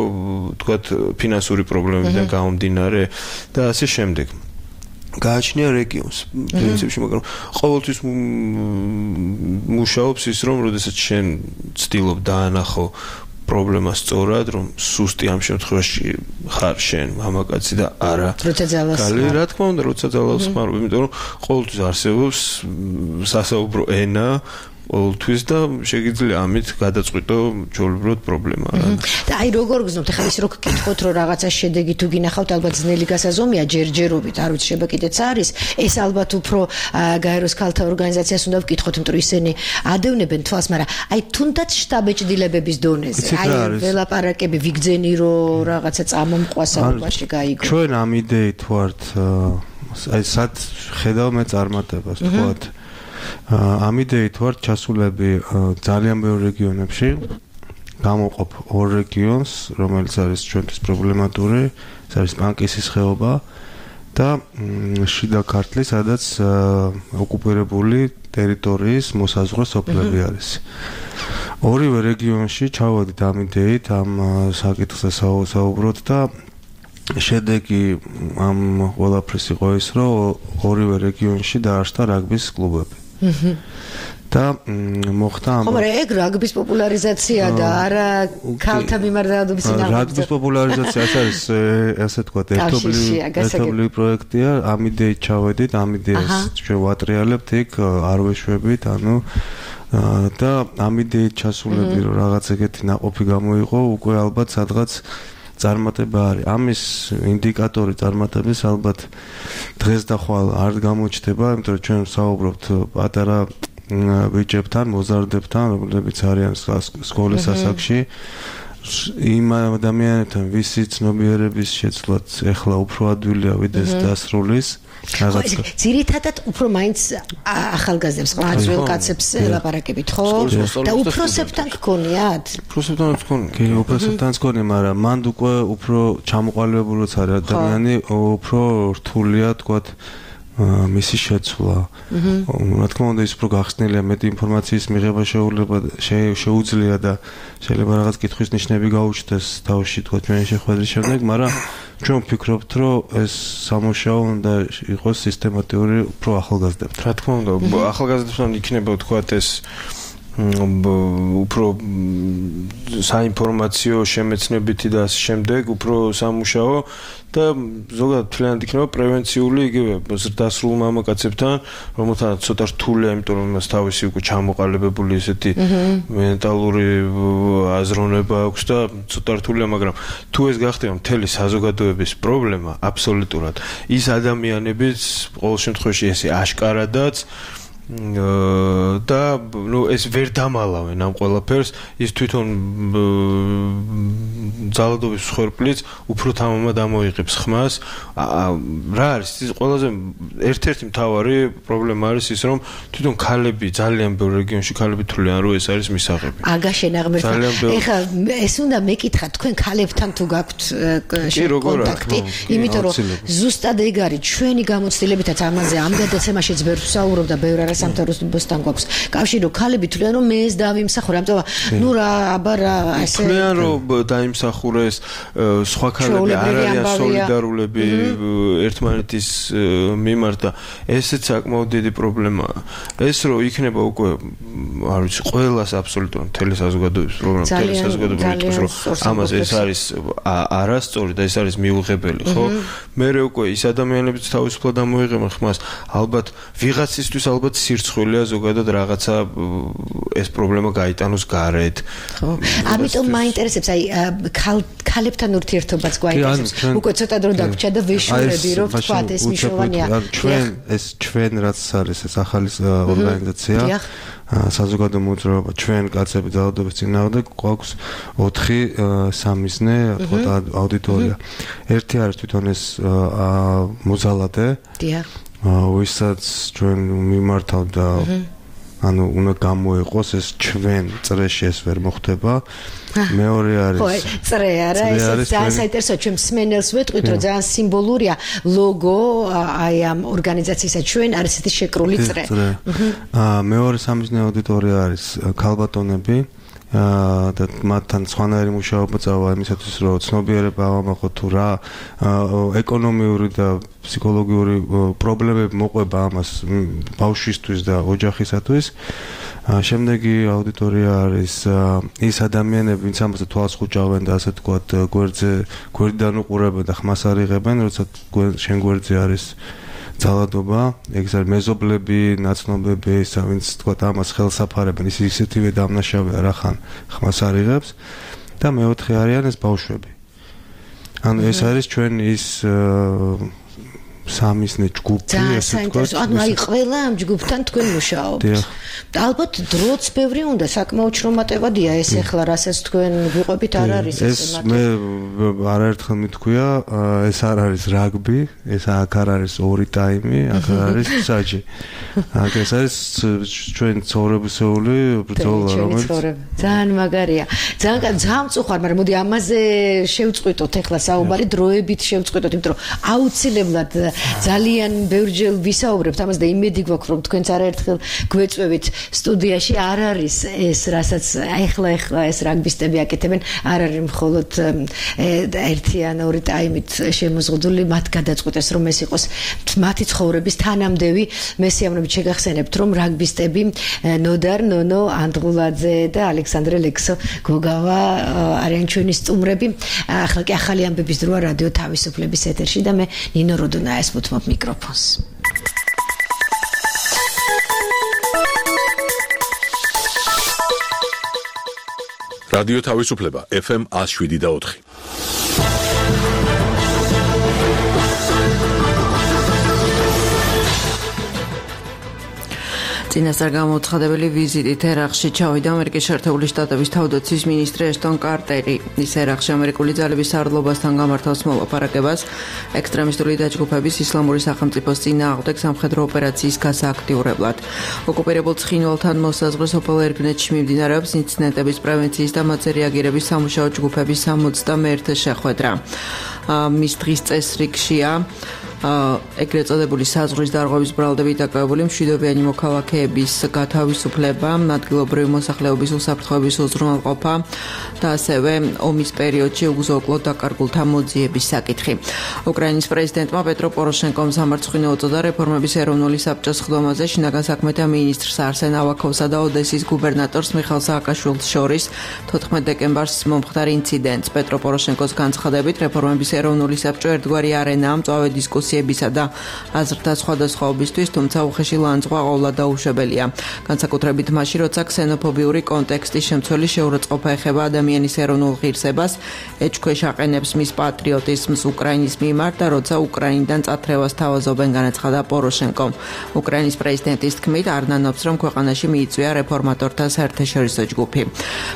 Speaker 5: თქვათ ფინანსური პრობლემებიდან გამომდინარე და ასე შემდეგ გააჩნია რეგიონს პრინციპში მაგრამ ყოველთვის მუშაობს ის რომ როდესაც შენ ცდილობ დაანახო პრობლემა სწორად რომ სუსტი ამ შემთხვევაში ხარ შენ მამაკაცი და არა ქალი რა თქმა უნდა როცა ძალავს ხარ იმიტომ რომ ყოველთვის არსებობს სასაუბრო ენა ყოველთვის და შეგიძლია ამით გადაწყვიტო ჩვეულებრივად პრობლემა
Speaker 3: და აი როგორ გზნობთ ახლა ის რო გკითხოთ რომ რაღაცა შედეგი თუ გინახავთ ალბათ ძნელი გასაზომია ჯერჯერობით არ ვიცი შეიძლება კიდეც არის ეს ალბათ უფრო გაეროს ქალთა ორგანიზაციას უნდა ვკითხოთ იმიტომ რომ ისინი ადევნებენ თვალს მაგრამ აი თუნდაც შტაბეჭდილებების დონეზე აი ველაპარაკები ვიგძენი რომ რაღაცა წამომყვა საუბარში გაიგო
Speaker 4: ჩვენ ამ იდეით ვართ აი სად ხედავ მე წარმატებას თქვათ ამ იდეით ვართ ჩასულები ძალიან ბევრ რეგიონებში გამოყოფ ორ რეგიონს რომელიც არის ჩვენთვის პრობლემატური ეს არის პანკისის ხეობა და შიდა ქართლი სადაც ოკუპირებული ტერიტორიის მოსაზღვრე სოფლები არის ორივე რეგიონში ჩავედით ამ იდეით ამ საკითხზე საუბრობთ და შედეგი ამ ყველაფრის იყო ის რომ ორივე რეგიონში დაარსდა რაგბის კლუბები და მოხდა ამ
Speaker 3: ხომ ეგ რაგბის პოპულარიზაცია და არა ქალთა მიმართ დაავადების წინააღმდეგ
Speaker 4: რაგბის პოპულარიზაცია ეს არის ასე თქვა ერთობლივი პროექტია ამ იდეით ჩავედით ამ იდეას ჩვენ ვატრიალებთ იქ არ ვეშვებით ანუ და ამ იდეით ჩასულები რომ რაღაც ეგეთი ნაყოფი გამოიყო, უკვე ალბათ სადღაც წარმატება არის. ამის ინდიკატორი წარმატების ალბათ დღეს და ხვალ არ გამოჩნდება, იმიტომ რომ ჩვენ ვსაუბრობთ პატარა ბიჭებთან, მოზარდებთან, რომლებიც არიან სკოლის ასაკში. იმ ადამიანებთან, ვისი ცნობიერების შეცვლაც ეხლა უფრო ადვილია ვიდრე დასრულის.
Speaker 3: ძირითადად უფრო მაინც ახალგაზრდებს, ყმაწვილ კაცებს ელაპარაკებით, ხო? და უფროსებთან გქონიათ?
Speaker 5: უფროსებთან გქონია.
Speaker 4: კი, უფროსებთან გქონია, მაგრამ მანდ უკვე უფრო ჩამოყალიბებულიც არის ადამიანი, უფრო რთულია, თქვათ, მისი შეცვლა. რა თქმა უნდა, ის უფრო გახსნილია, მეტი ინფორმაციის მიღება შეუძლია და შეიძლება რაღაც კითხვის ნიშნები გაუჩნდეს თავში, თქვათ, ჩვენი შეხვედრის შემდეგ, მაგრამ ჩვენ ვფიქრობთ, რომ ეს სამუშაო უნდა იყოს სისტემატიური უფრო ახალგაზრდებთან.
Speaker 5: რა თქმა უნდა, ახალგაზრდებთან იქნება, თქვათ, ეს უფრო საინფორმაციო შემეცნებითი და ასე შემდეგ, უფრო სამუშაო და ზოგადად თლიანად იქნება პრევენციული იგივე დასრულ მამაკაცებთან, რომელთანაც ცოტა რთულია, იმიტომ რომ მას თავისი უკვე ჩამოყალიბებული ესეთი მენტალური აზროვნება აქვს და ცოტა რთულია, მაგრამ თუ ეს გახდება მთელი საზოგადოების პრობლემა, აბსოლუტურად ის ადამიანებიც ყოველ შემთხვევაში ესე აშკარადაც და ნუ ეს ვერ დამალავენ ამ ყველაფერს, ის თვითონ ძალადობის მსხვერპლიც უფრო თამამად ამოიღებს ხმას. რა არის ის ყველაზე ერთ-ერთი მთავარი პრობლემა არის ის, რომ თვითონ ქალები ძალიან ბევრ რეგიონში ქალები თვლიან, რომ ეს არის მისაღები.
Speaker 3: აგაშენ აღმერთა. ეხლა ეს უნდა მეკითხა, თქვენ ქალებთან თუ გაქვთ კონტაქტი, იმიტომ რომ ზუსტად ეგ არის ჩვენი გამოცდილებითაც ამაზე ამ გადაცემაშიც ბევრ ვსაუბრობ და ბევრ სამთავრობასთან გვაქვს კავშირი, რომ ქალები თვლიან, რომ მე ეს დავიმსახურე, ამიტომ ნუ რა აბა რა ასე
Speaker 5: თვლიან, რომ დაიმსახურეს, სხვა ქალები არ არიან სოლიდარულები ერთმანეთის მიმართ და ესეც საკმაოდ დიდი პრობლემაა. ეს რომ იქნება უკვე არ ვიცი, ყველას აბსოლუტურად მთელი საზოგადოების პრობლემა, მთელი საზოგადოება იტყვის, რომ ამას ეს არის არასწორი და ეს არის მიუღებელი, ხო? მე უკვე ის ადამიანებიც თავისუფლად ამოიღებენ ხმას, ალბათ ვიღაცისთვის ალბათ სირცხვილია ზოგადად რაღაცა ეს პრობლემა გაიტანოს გარეთ.
Speaker 3: ხო. ამიტომ მაინტერესებს, აი ქალებთან ურთიერთობაც გვაინტერესებს. უკვე ცოტა დრო დაგვრჩა და ვეშურები, რომ ვთქვათ ეს მნიშვნელოვანია.
Speaker 4: ჩვენ ეს ჩვენ რაც არის ეს ახალი ორგანიზაცია, საზოგადო მოძრაობა, ჩვენ კაცები ძალადობის წინააღმდეგ გვაქვს ოთხი სამიზნე აუდიტორია. ერთი არის თვითონ ეს მოძალადე.
Speaker 3: დიახ.
Speaker 4: ვისაც ჩვენ მიმართავ და ანუ უნდა გამოიყოს ეს ჩვენ წრეში ეს ვერ მოხდება. მეორე არის
Speaker 3: ხო, წრე არა, ეს ძალიან საინტერესოა, ჩვენ მსმენელს ვეტყვით, რომ ძალიან სიმბოლურია ლოგო აი ამ ორგანიზაციისა, ჩვენ არის ესეთი შეკრული წრე.
Speaker 4: აა მეორე სამიზნე აუდიტორია არის ქალბატონები და მათთან სხვანაირი მუშაობა წავა იმისათვის, რომ ცნობიერება ავამახოთ თუ რა ეკონომიური და ფსიქოლოგიური პრობლემები მოყვება ამას ბავშვისთვის და ოჯახისათვის. შემდეგი აუდიტორია არის ის ადამიანები, ვინც ამაზე თვალს ხუჭავენ და ასე თქვათ გვერდზე გვერდიდან უყურებენ და ხმას არიღებენ, როცა შენ გვერდზე არის ძალადობა, ეგ არის მეზობლები, ნაცნობები, ისა ვინც თქვათ ამას ხელს აფარებენ, ის ისეთივე დამნაშავეა რახან ხმას არიღებს და მეოთხე არიან ეს ბავშვები. ანუ ეს არის ჩვენ ის სამიზნე ჯგუფი,
Speaker 3: ესე ვთქვათ. ანუ აი ყველა ამ ჯგუფთან თქვენ მუშაობთ. და ალბათ დროც ბევრი უნდა, საკმაოდ შრომატევადია ეს ახლა რასაც თქვენ ვიყვებით, არ არის
Speaker 4: ეს მე არაერთხელ მithქვია, ეს არ არის რაგბი, ეს აქ არ არის ორი ტაიმი, აქ არის საჯი. აქ ეს არის ჩვენ ცხოვრებისეული ბრძოლა, რომელიც
Speaker 3: ძალიან მაგარია. ძალიან ძალიან მწუხარ, მაგრამ მოდი ამაზე შევწყვიტოთ ახლა საუბარი, დროებით შევწყვიტოთ, იმიტომ რომ აუცილებლად ძალიან ბევრჯერ ვისაუბრებთ ამას და იმედი გვაქვს, რომ თქვენც არაერთხელ გვეწვევით სტუდიაში. არ არის ეს, რასაც ახლა ახლა ეს რაგბისტები აკეთებენ, არ არის მხოლოდ ერთი ან ორი ტაიმით შემოზღუდული, მათ გადაწყვეტეს, რომ ეს იყოს მათი ცხოვრების თანამდევი. მესიამოვნებით შეგახსენებთ, რომ რაგბისტები ნოდარ ნონო ანდღულაძე და ალექსანდრე ლექსო გოგავა არიან ჩვენი სტუმრები. ახლა კი ახალი ამბების დროა რადიო თავისუფლების ეთერში და მე ნინო როდონაია ვუთმობ მიკროფონს.
Speaker 1: რადიო თავისუფლება ეფ ემ one oh seven და four.
Speaker 2: წინასწარ გამოცხადებელი ვიზიტით ერაყში ჩავიდა ამერიკის შეერთებული შტატების თავდაცვის მინისტრი ეშტონ კარტერი. ის ერაყში ამერიკული ძალების სარდლობასთან გამართავს მოლაპარაკებას ექსტრემისტული დაჯგუფების ისლამური სახელმწიფოს წინააღმდეგ სამხედრო ოპერაციის გასააქტიურებლად. ოკუპირებულ ცხინვალთან მოსაზღვრე სოფელ ერგნეთში მიმდინარეობს ინციდენტების პრევენციის და მათზე რეაგირების სამუშაო ჯგუფების სამოცდამეერთე შეხვედრა. მის დღის წესრიგშია ეგრეთ წოდებული საზღვრის დარღვევის ბრალდებით დაკავებული მშვიდობიანი მოქალაქეების გათავისუფლება, ადგილობრივი მოსახლეობის უსაფრთხოების უზრუნველყოფა და ასევე ომის პერიოდში უგზო-უკლოდ დაკარგულთა მოძიების საკითხი. უკრაინის პრეზიდენტმა პეტრო პოროშენკომ სამარცხვინო უწოდა რეფორმების ეროვნული საბჭოს ხდომაზე შინაგან საქმეთა მინისტრს არსენ ავაქოვსა და ოდესის გუბერნატორს მიხაილ სააკაშვილს შორის თოთხმეტ დეკემბერს მომხდარ ინციდენტს. პეტრო პოროშენკოს განცხადებით რეფორმების ეროვნული საბჭო ერთგვარი არენაა მწვავე დისკუსია და აზრთა სხვადასხვაობისთვის, თუმცა უხეში ლანძღვა ყოვლად დაუშვებელია. განსაკუთრებით მაშინ, როცა ქსენოფობიური კონტექსტის შემცველი შეურაცხყოფა ეხება ადამიანის ეროვნულ ღირსებას, ეჭქვეშ აყენებს მის პატრიოტიზმს უკრაინის მიმართ და როცა უკრაინიდან წათრევას თავაზობენ, განაცხადა პოროშენკომ. უკრაინის პრეზიდენტის თქმით, არ ნანობს, რომ ქვეყანაში მიიწვია რეფორმატორთა საერთაშორისო ჯგუფი.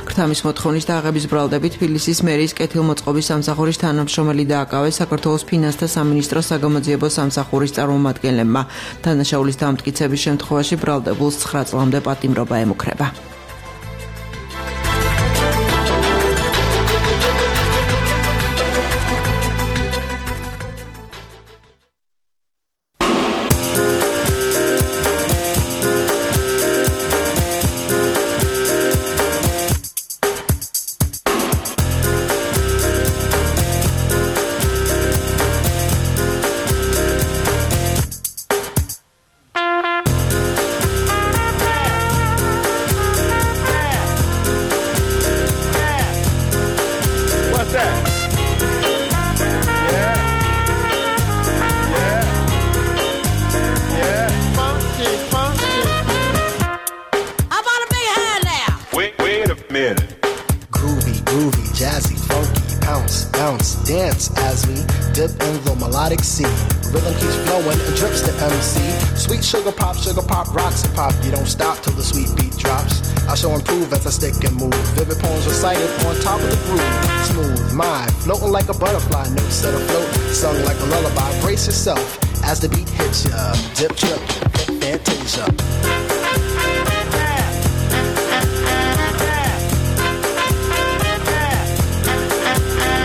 Speaker 2: ქრთამის მოთხოვნის დააღების ბრალდებით თბილისის მერის კეთილმოწყობის სამსახურის თანამშრომელი დააკავეს საქართველოს ფინანსთა სამინისტროს საგამოძიებო სამსახურის წარმომადგენლებმა. დანაშაულის დამტკიცების შემთხვევაში ბრალდებულს ცხრა წლამდე პატიმრობა ემუქრება.
Speaker 6: Sugar pop, sugar pop, rocks and pop. You don't stop till the sweet beat drops. I shall improve as I stick and move. Vivid poems recited on top of the groove. Smooth mind, floating like a butterfly. Notes set afloat, sung like a lullaby. Brace yourself as the beat hits ya. Dip, trip, fantasia.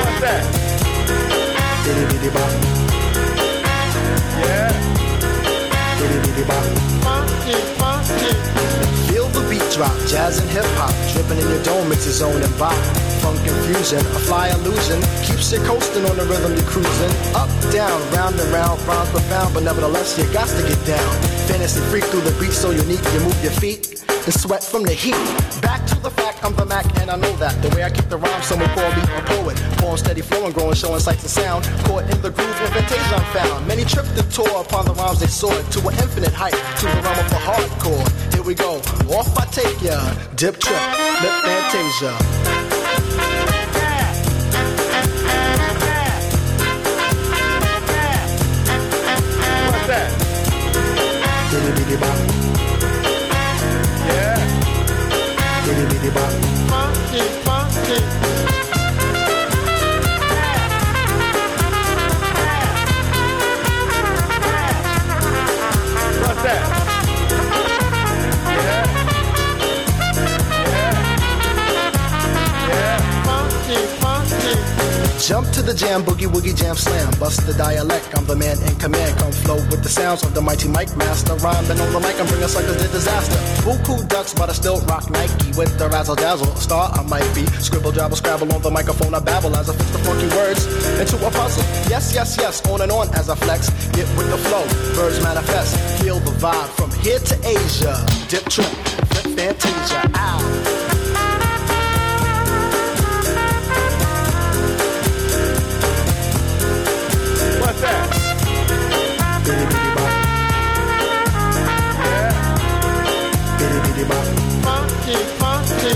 Speaker 6: What's that? Diddy diddy bop. Yeah. Funky, funky. Feel the beat drop, jazz and hip hop, dripping in your dome, it's a zone and bop. Funk confusion, a fly illusion, keeps you coasting on the rhythm you're cruising. Up, down, round and round, rhymes profound, but nevertheless you got to get down. Fantasy freak through the beat so unique, you move your feet and sweat from the heat. Back to the fact, I'm the Mac and I know that. The way I keep the rhyme, someone call me a poet. Poem steady flowing, growing, showing sights and sound. Caught in the groove, in fantasia I'm found. Many tripped and tore upon the rhymes they soared to an infinite height, to the realm of the hardcore. Here we go, off I take ya. Dip trip, lip fantasia. What's that? Diddy diddy bop. Yeah. Diddy diddy bop. Funky, funky. What's that? Yeah. Yeah. Yeah. Funky, funky. Jump to the jam, boogie woogie jam slam. Bust the dialect, I'm the man in command. Come flow with the sounds of the mighty mic master. Rhyming on the mic and bring us like a disaster. Buku ducks, but I still rock Nike with the razzle dazzle. A star I might be. Scribble, jabble, scrabble on the microphone. I babble as I fix the funky words into a puzzle. Yes, yes, yes, on and on as I flex. Get with the flow, birds manifest. Feel the vibe from here to Asia. Dip trip, flip fantasia. Ow. What's that? Bitty bitty bop. Yeah. Bitty bitty bop. Funky, funky.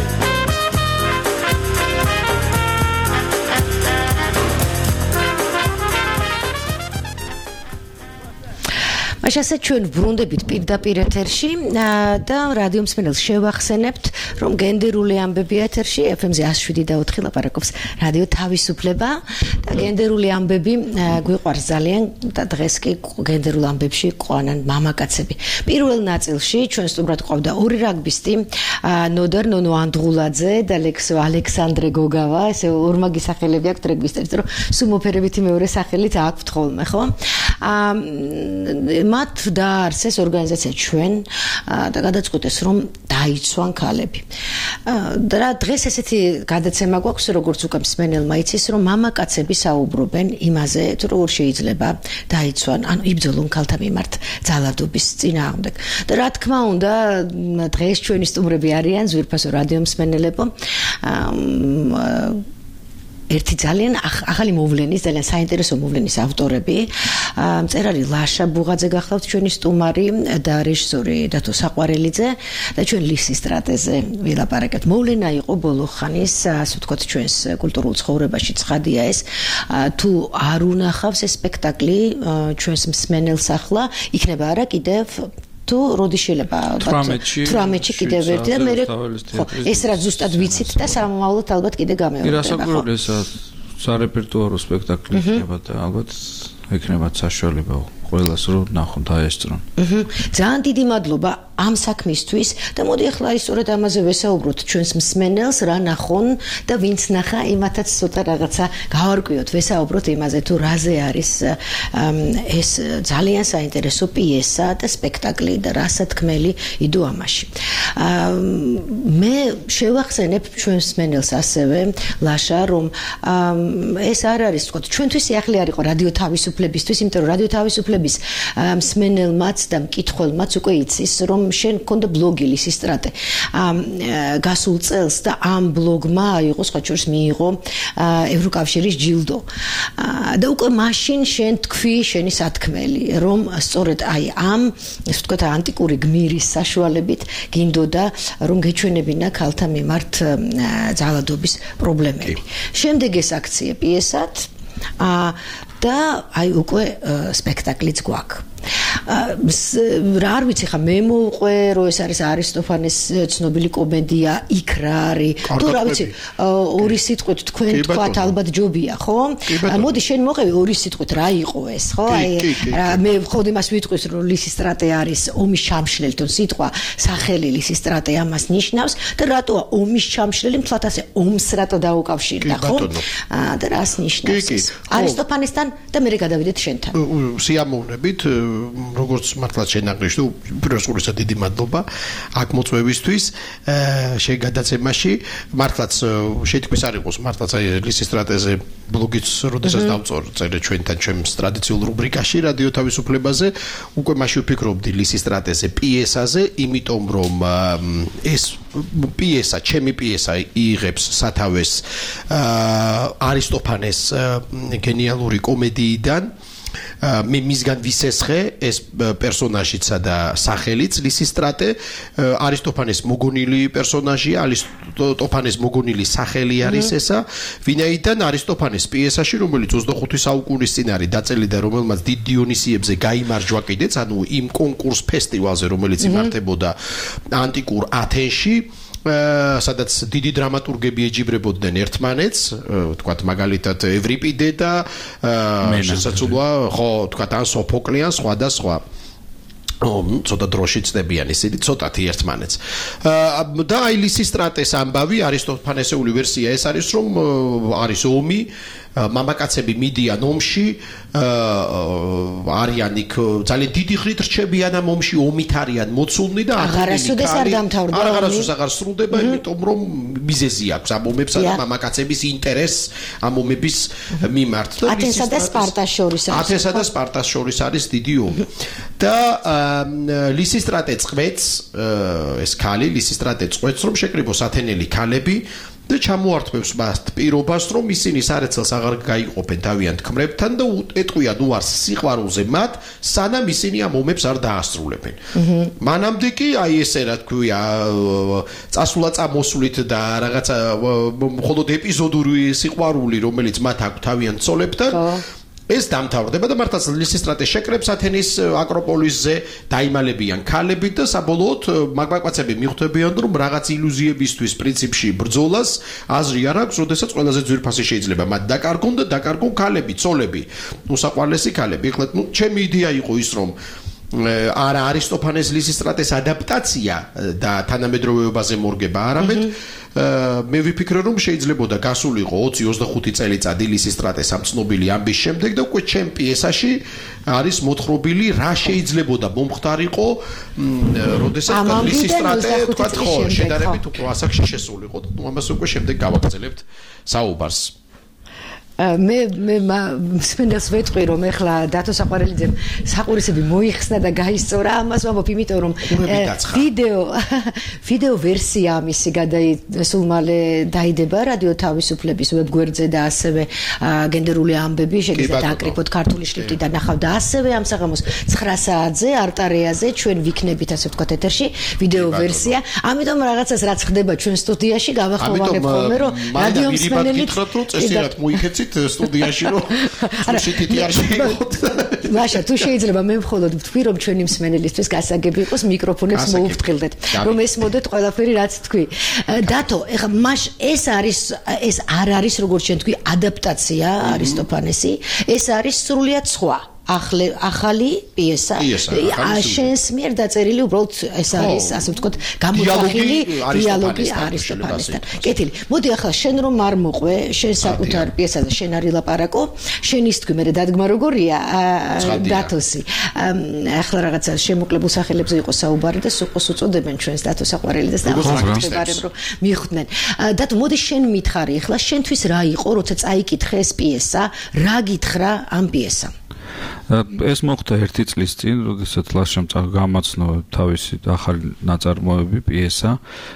Speaker 3: მაშინ ასე ჩვენ ბრუნდებით პირდაპირ ეთერში და რადიო მსმენელს შევახსენებთ, რომ გენდერული ამბები ეთერში ეფ ემ-ზე εκατს შვიდი და ოთხი ლაპარაკობს რადიო თავისუფლება და გენდერული ამბები გვიყვარს ძალიან და დღეს კი გენდერულ ამბებში ყვანან მამაკაცები. პირველ ნაწილში ჩვენ სტუმრად ყავდა ორი რაგბისტი, ნოდარ ნონო ანდღულაძე და ლექსო ალექსანდრე გოგავა, ესე ორმაგი სახელები აქვს რაგბისტებს, რომ სუმოფერებითი მეორე სახელით აქვთ ხოლმე, ხო? მათ დაარსეს ორგანიზაცია ჩვენ და გადაწყვიტეს, რომ დაიცვან ქალები. და დღეს ესეთი გადაცემა გვაქვს, როგორც უკვე მსმენელმა იცის, რომ მამაკაცები საუბრობენ იმაზე, თუ როგორ შეიძლება დაიცვან, ანუ იბრძოლონ ქალთა მიმართ ძალადობის წინააღმდეგ. და რა თქმა უნდა, დღეს ჩვენი სტუმრები არიან ზვირფასო რადიო მსმენელებო. ერთი ძალიან ახალი მოვლენის, ძალიან საინტერესო მოვლენის ავტორები. მწერალი ლაშა ბუღაძე გახლავთ ჩვენი სტუმარი და რეჟისორი დათო საყვარელიძე და ჩვენ ლისის სტრატეზე ვილაპარაკეთ. მოვლენა იყო ბოლო ხანის, ასე ვთქვათ, ჩვენს კულტურულ ცხოვრებაში ცხადია ეს. თუ არ უნახავს ეს სპექტაკლი ჩვენს მსმენელს ახლა, იქნება არა კიდევ თუ როდი შეიძლება თვრამეტში კიდევ ერთი და მე ეს რაც ზუსტად ვიცით და სამომავლოდ ალბათ კიდე გამეორდება.
Speaker 7: ირასაკურული ეს სარეპერტუარო სპექტაკლი იქნება და ალბათ ექნებათ საშუალება ყველას რომ ნახონ და აესწრონ.
Speaker 3: ძალიან დიდი მადლობა ამ საქმისთვის და მოდი ახლა ისწორედ ამაზე ვესაუბროთ ჩვენს მსმენელს რა ნახონ და ვინც ნახა იმათაც ცოტა რაღაცა გავარკვიოთ, ვესაუბროთ იმაზე თუ რაზე არის ეს ძალიან საინტერესო პიესა და სპექტაკლი და რა სათქმელი იდო ამაში. მე შევახსენებ ჩვენს მსმენელს ასევე ლაშა, რომ ეს არ არის თქო ჩვენთვის ახლი არ იყო რადიო თავისუფლებისთვის, იმიტომ რომ რადიო თავისუფლების მსმენელმაც და მკითხველმაც უკვე იცის, რომ შენ მქონდა ბლოგი ლისის სტრატე. გასულ წელს და ამ ბლოგმა იყო სხვა შორის მიიღო ევროკავშირის ჯილდო. და უკვე მაშინ შენ თქვი შენი სათქმელი, რომ სწორედ აი ამ, ასე ვთქვათ, ანტიკური გმირის საშუალებით გინდოდა რომ გეჩვენებინა ქალთა მიმართ ძალადობის პრობლემები. შემდეგ ეს აქცია პიესად და აი უკვე სპექტაკლიც გვაქვს. რა არ vicი ხა მე მოვყვე რომ ეს არის არისტოფანეს ცნობილი კომედია იქ რა არის თუ რა ვიცი ორი სიტყვით თქვენ თქვათ ალბათ ჯობია ხო მოდი შენ მოყევი ორი სიტყვით რა იყო ეს ხო აი მე ხოდ იმას ვიტყვის რომ ლისის სტრატე არის ომის ჩამშლელი თუ სიტყვა სახელი ლისის სტრატე ამას ნიშნავს და რატოა ომის ჩამშლელი მთლად ასე ომს რატო დაუკავშირდა ხო და რას ნიშნავს ეს არისტოფანესთან და მე გადავიდეთ შენთან
Speaker 8: სიამოვნებით როგორც მართლაც შენაღნიშნე უპირველესად დიდი მადლობა აქ მოწვევისთვის შენ გადაცემაში მართლაც შეთქმის არ იყოს მართლაც აი ლისის სტრატეზე ბლოგიც როდესაც დავწერე ჩვენთან ჩემს ტრადიციულ რუბრიკაში რადიო თავისუფლებაზე უკვე მაშინ ვფიქრობდი ლისის სტრატეზე პიესაზე იმიტომ რომ ეს პიესა ჩემი პიესა იღებს სათავეს არისტოფანეს გენიალური კომედიიდან მე მისგან ვისესხე ეს პერსონაჟიცა და სახელიც ლისისტრატე არისტოფანეს მოგონილი პერსონაჟია არისტოფანეს მოგონილი სახელი არის ესა ვინაიდან არისტოფანეს პიესაში რომელიც ოცდახუთი საუკუნის წინ არის დაწერილი და რომელმაც დიდ დიონისიებზე გაიმარჯვა კიდეც ანუ იმ კონკურს ფესტივალზე რომელიც იმართებოდა ანტიკურ ათენში სადაც დიდი დრამატურგები ეჯიბრებოდნენ ერთმანეთს, თქვათ მაგალითად ევრიპიდე და შესაძლოა ხო თქვათ ან სოფოკლე ან სხვა და სხვა. ცოტა დროში წდებიან ისინი ცოტათი ერთმანეთს. და აი ლისის სტრატეს ამბავი არისტოფანესეული ვერსია ეს არის რომ არის ომი მამაკაცები მიდიან ომში არიან იქ ძალიან დიდი ხნით რჩებიან ამ ომში ომით არიან მოცულნი და
Speaker 3: აღარასოდეს არ დამთავრდა
Speaker 8: აღარასოდეს აღარ სრულდება იმიტომ რომ მიზეზი აქვს ამ ომებსა და მამაკაცების ინტერესს ამ ომების მიმართ და
Speaker 3: ათენსა და სპარტას შორის არის
Speaker 8: ათენსა და სპარტას შორის არის დიდი ომი და ლისის სტრატე წყვეც ეს ქალი ლისის სტრატე წყვეც რომ შეკრიბოს ათენელი ქალები და ჩამოართმევს მას პირობას რომ ისინი სარეცელს აღარ გაიყოფენ თავიანთ ქმრებთან და ეტყვიან უარს სიყვარულზე მათ სანამ ისინი ამ ომებს არ დაასრულებენ. მანამდე კი აი ესე რა თქვია წასულა წამოსვლით და რაღაცა მხოლოდ ეპიზოდური სიყვარული რომელიც მათ აქვს თავიანთ ცოლებთან ეს დამთავრდება და მართლაც ლისისტრატე შეკრებს ათენის აკროპოლისზე დაიმალებიან ქალებით და საბოლოოდ მაგმაკაცები მიხვდებიან რომ რაღაც ილუზიებისთვის პრინციპში ბრძოლას აზრი არ აქვს, როდესაც ყველაზე ძვირფასი შეიძლება მათ დაკარგონ და დაკარგონ ქალები, ცოლები, უსაყვარლესი ქალები. ეხლა ნუ ჩემი იდეა იყო ის რომ არა არისტოფანეს ლისისტრატეს ადაპტაცია და თანამედროვეობაზე მორგება არამედ მე ვიფიქრე რომ შეიძლებოდა გასულიყო ოცი ოცდახუთი წელიწადი ლისისტრატეს ამ ცნობილი ამბის შემდეგ და უკვე ჩემ პიესაში არის მოთხრობილი რა შეიძლებოდა მომხდარიყო როდესაც ლისისტრატე თქვა ხო შედარებით უფრო ასაკში შესულიყო და ამას უკვე შემდეგ გავაგრძელებთ საუბარს
Speaker 3: მე მე მსმენელს ვეთყვი რომ ეხლა დათო საყვარელიძემ საყურისები მოიხსნა და გაისწორა ამას ვამბობ იმიტომ რომ ვიდეო ვიდეო ვერსია ამისი გადაი მალე დაიდება რადიო თავისუფლების ვებგვერდზე და ასევე გენდერული ამბები შეგიძლიათ აკრიფოთ ქართული შრიფტით და ნახავთ და ასევე ამ საღამოს ცხრა საათზე არტარეაზე ჩვენ ვიქნებით ასე ვთქვათ ეთერში ვიდეო ვერსია ამიტომ რაღაცას რაც ხდება ჩვენ სტუდიაში გავახმოვანებ ხოლმე რომ რადიო მსმენელით
Speaker 8: წესიერად მოიქეცით სტუდიაში რომ შეთითი არ შეიღოთ.
Speaker 3: მაშა თუ შეიძლება მე მხოლოდ ვთქვი რომ ჩვენი მსმენელისთვის გასაგები იყოს მიკროფონებს მოუფრთხილდეთ რომ ესმოდეთ ყველაფერი რაც თქვი. დათო, ეხლა მაშ ეს არის ეს არ არის როგორც ჩვენ თქვი ადაპტაცია არისტოფანესი, ეს არის სრულიად სხვა. ახლა ახალი პიესა შენს მიერ დაწერილი უბრალოდ ეს არის ასე ვთქვათ გამოძახილი დიალოგი არისტოფანესთან. კეთილი. მოდი ახლა შენ რომ არ მოყვე შენ საკუთარ პიესაზე შენ არ ილაპარაკო შენის თქვი მე დადგმა როგორია დათოსი. ახლა რაღაცა შემოკლებული სახელებზე იყო საუბარი და სუყოს უწოდებენ ჩვენს დათო საყვარელიძეს და ახლა რომ მიხვდნენ. დათო მოდი შენ მითხარი ახლა შენთვის რა იყო როცა წაიკითხე ეს პიესა რა გითხრა ამ პიესამ
Speaker 7: ეს მოხდა ერთი წლის წინ, როდესაც ლაშამ გამაცნო თავისი ახალი ნაწარმოები პიესა.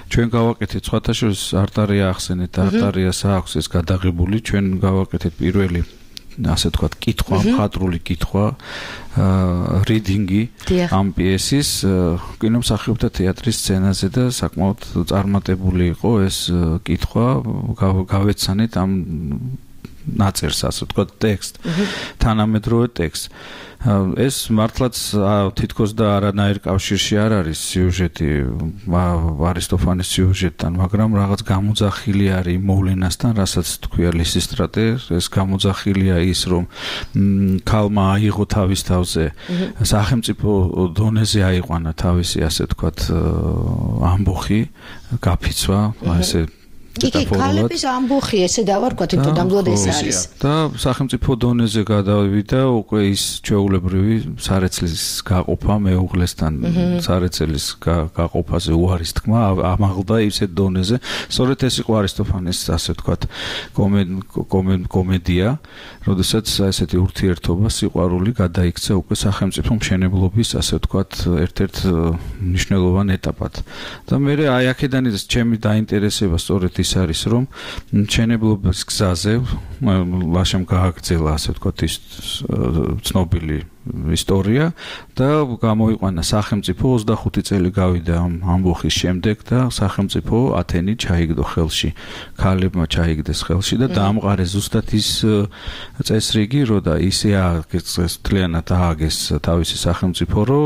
Speaker 7: ჩვენ გავაკეთეთ სხვათა შორის არტარია ახსენეთ, არტარიას აქვს ეს გადაღებული, ჩვენ გავაკეთეთ პირველი ასე ვთქვათ, კითხვა, მხატვრული კითხვა, რიდინგი ამ პიესის კინომსახიობთა თეატრის სცენაზე და საკმაოდ წარმატებული იყო ეს კითხვა, გავეცანით ამ ნაწერს ასე ვთქვათ ტექსტ თანამედროვე ტექსტ ეს მართლაც თითქოს და არანაირ კავშირში არ არის სიუჟეტი არისტოფანეს სიუჟეტთან მაგრამ რაღაც გამოძახილი არის მოვლენასთან რასაც თქვია ლისისტრატე ეს გამოძახილია ის რომ ქალმა აიღო თავის თავზე სახელმწიფო დონეზე აიყვანა თავისი ასე ვთქვათ ამბოხი გაფიცვა ესე
Speaker 3: იგი ქალების ამბოხი ესე დავარქვათ იმიტომ დამძლოდ ეს არის
Speaker 7: და სახელმწიფო დონეზე გადავიდა უკვე ის ჩვეულებრივი სარეცლის გაყოფა მეუღლესთან სარეცლის გაყოფაზე უარის თქმა ამაღლდა ისეთ დონეზე სწორედ ეს იყო არისტოფანეს ასე ვთქვათ კომედია როდესაც ესეთი ურთიერთობა სიყვარული გადაიქცა უკვე სახელმწიფო მშენებლობის ასე ვთქვათ ერთ-ერთ მნიშვნელოვან ეტაპად და მე აი აქედან ის ჩემი დაინტერესება სწორედ ის არის რომ მშენებლობის გზაზე ლაშამ გააგრძელა ასე ვთქვათ ის ცნობილი ისტორია და გამოიყვანა სახელმწიფო ოცდახუთი წელი გავიდა ამ ამბოხის შემდეგ და სახელმწიფო ათენი ჩაიგდო ხელში ქალებმა ჩაიგდეს ხელში და დაამყარეს ზუსტად ის წესრიგი რო და ისე ააგეს თლიანად ააგეს თავისი სახელმწიფო რო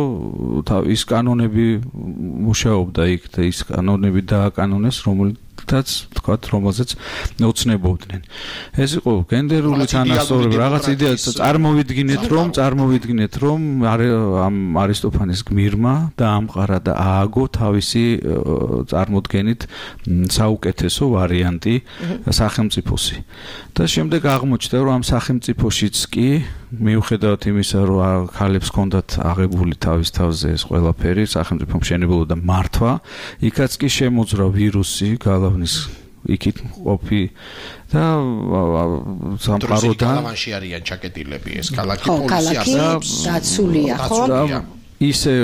Speaker 7: ის კანონები მუშაობდა იქ და ის კანონები დააკანონეს რომელიც თაც თქვათ რომელზეც ოცნებობდნენ ეს იყო გენდერული თანასწორობა რაღაც იდეა წარმოვიდგინეთ რომ წარმოვიდგინეთ რომ ამ არისტოფანეს გმირმა დაამყარა და ააგო თავისი წარმოდგენით საუკეთესო ვარიანტი სახელმწიფოსი და შემდეგ აღმოჩნდა რომ ამ სახელმწიფოშიც კი მიუხედავად იმისა რომ ქალებს ჰქონდათ აღებული თავის თავზე ეს ყველაფერი სახელმწიფო მშენებლობა და მართვა იქაც კი შემოძრა ვირუსი გალავნის იქით ყოფი და სამყაროდან
Speaker 8: გალავანში არიან ჩაკეტილები ეს ქალაქი პოლიცია
Speaker 3: დაცულია ხო
Speaker 7: ისე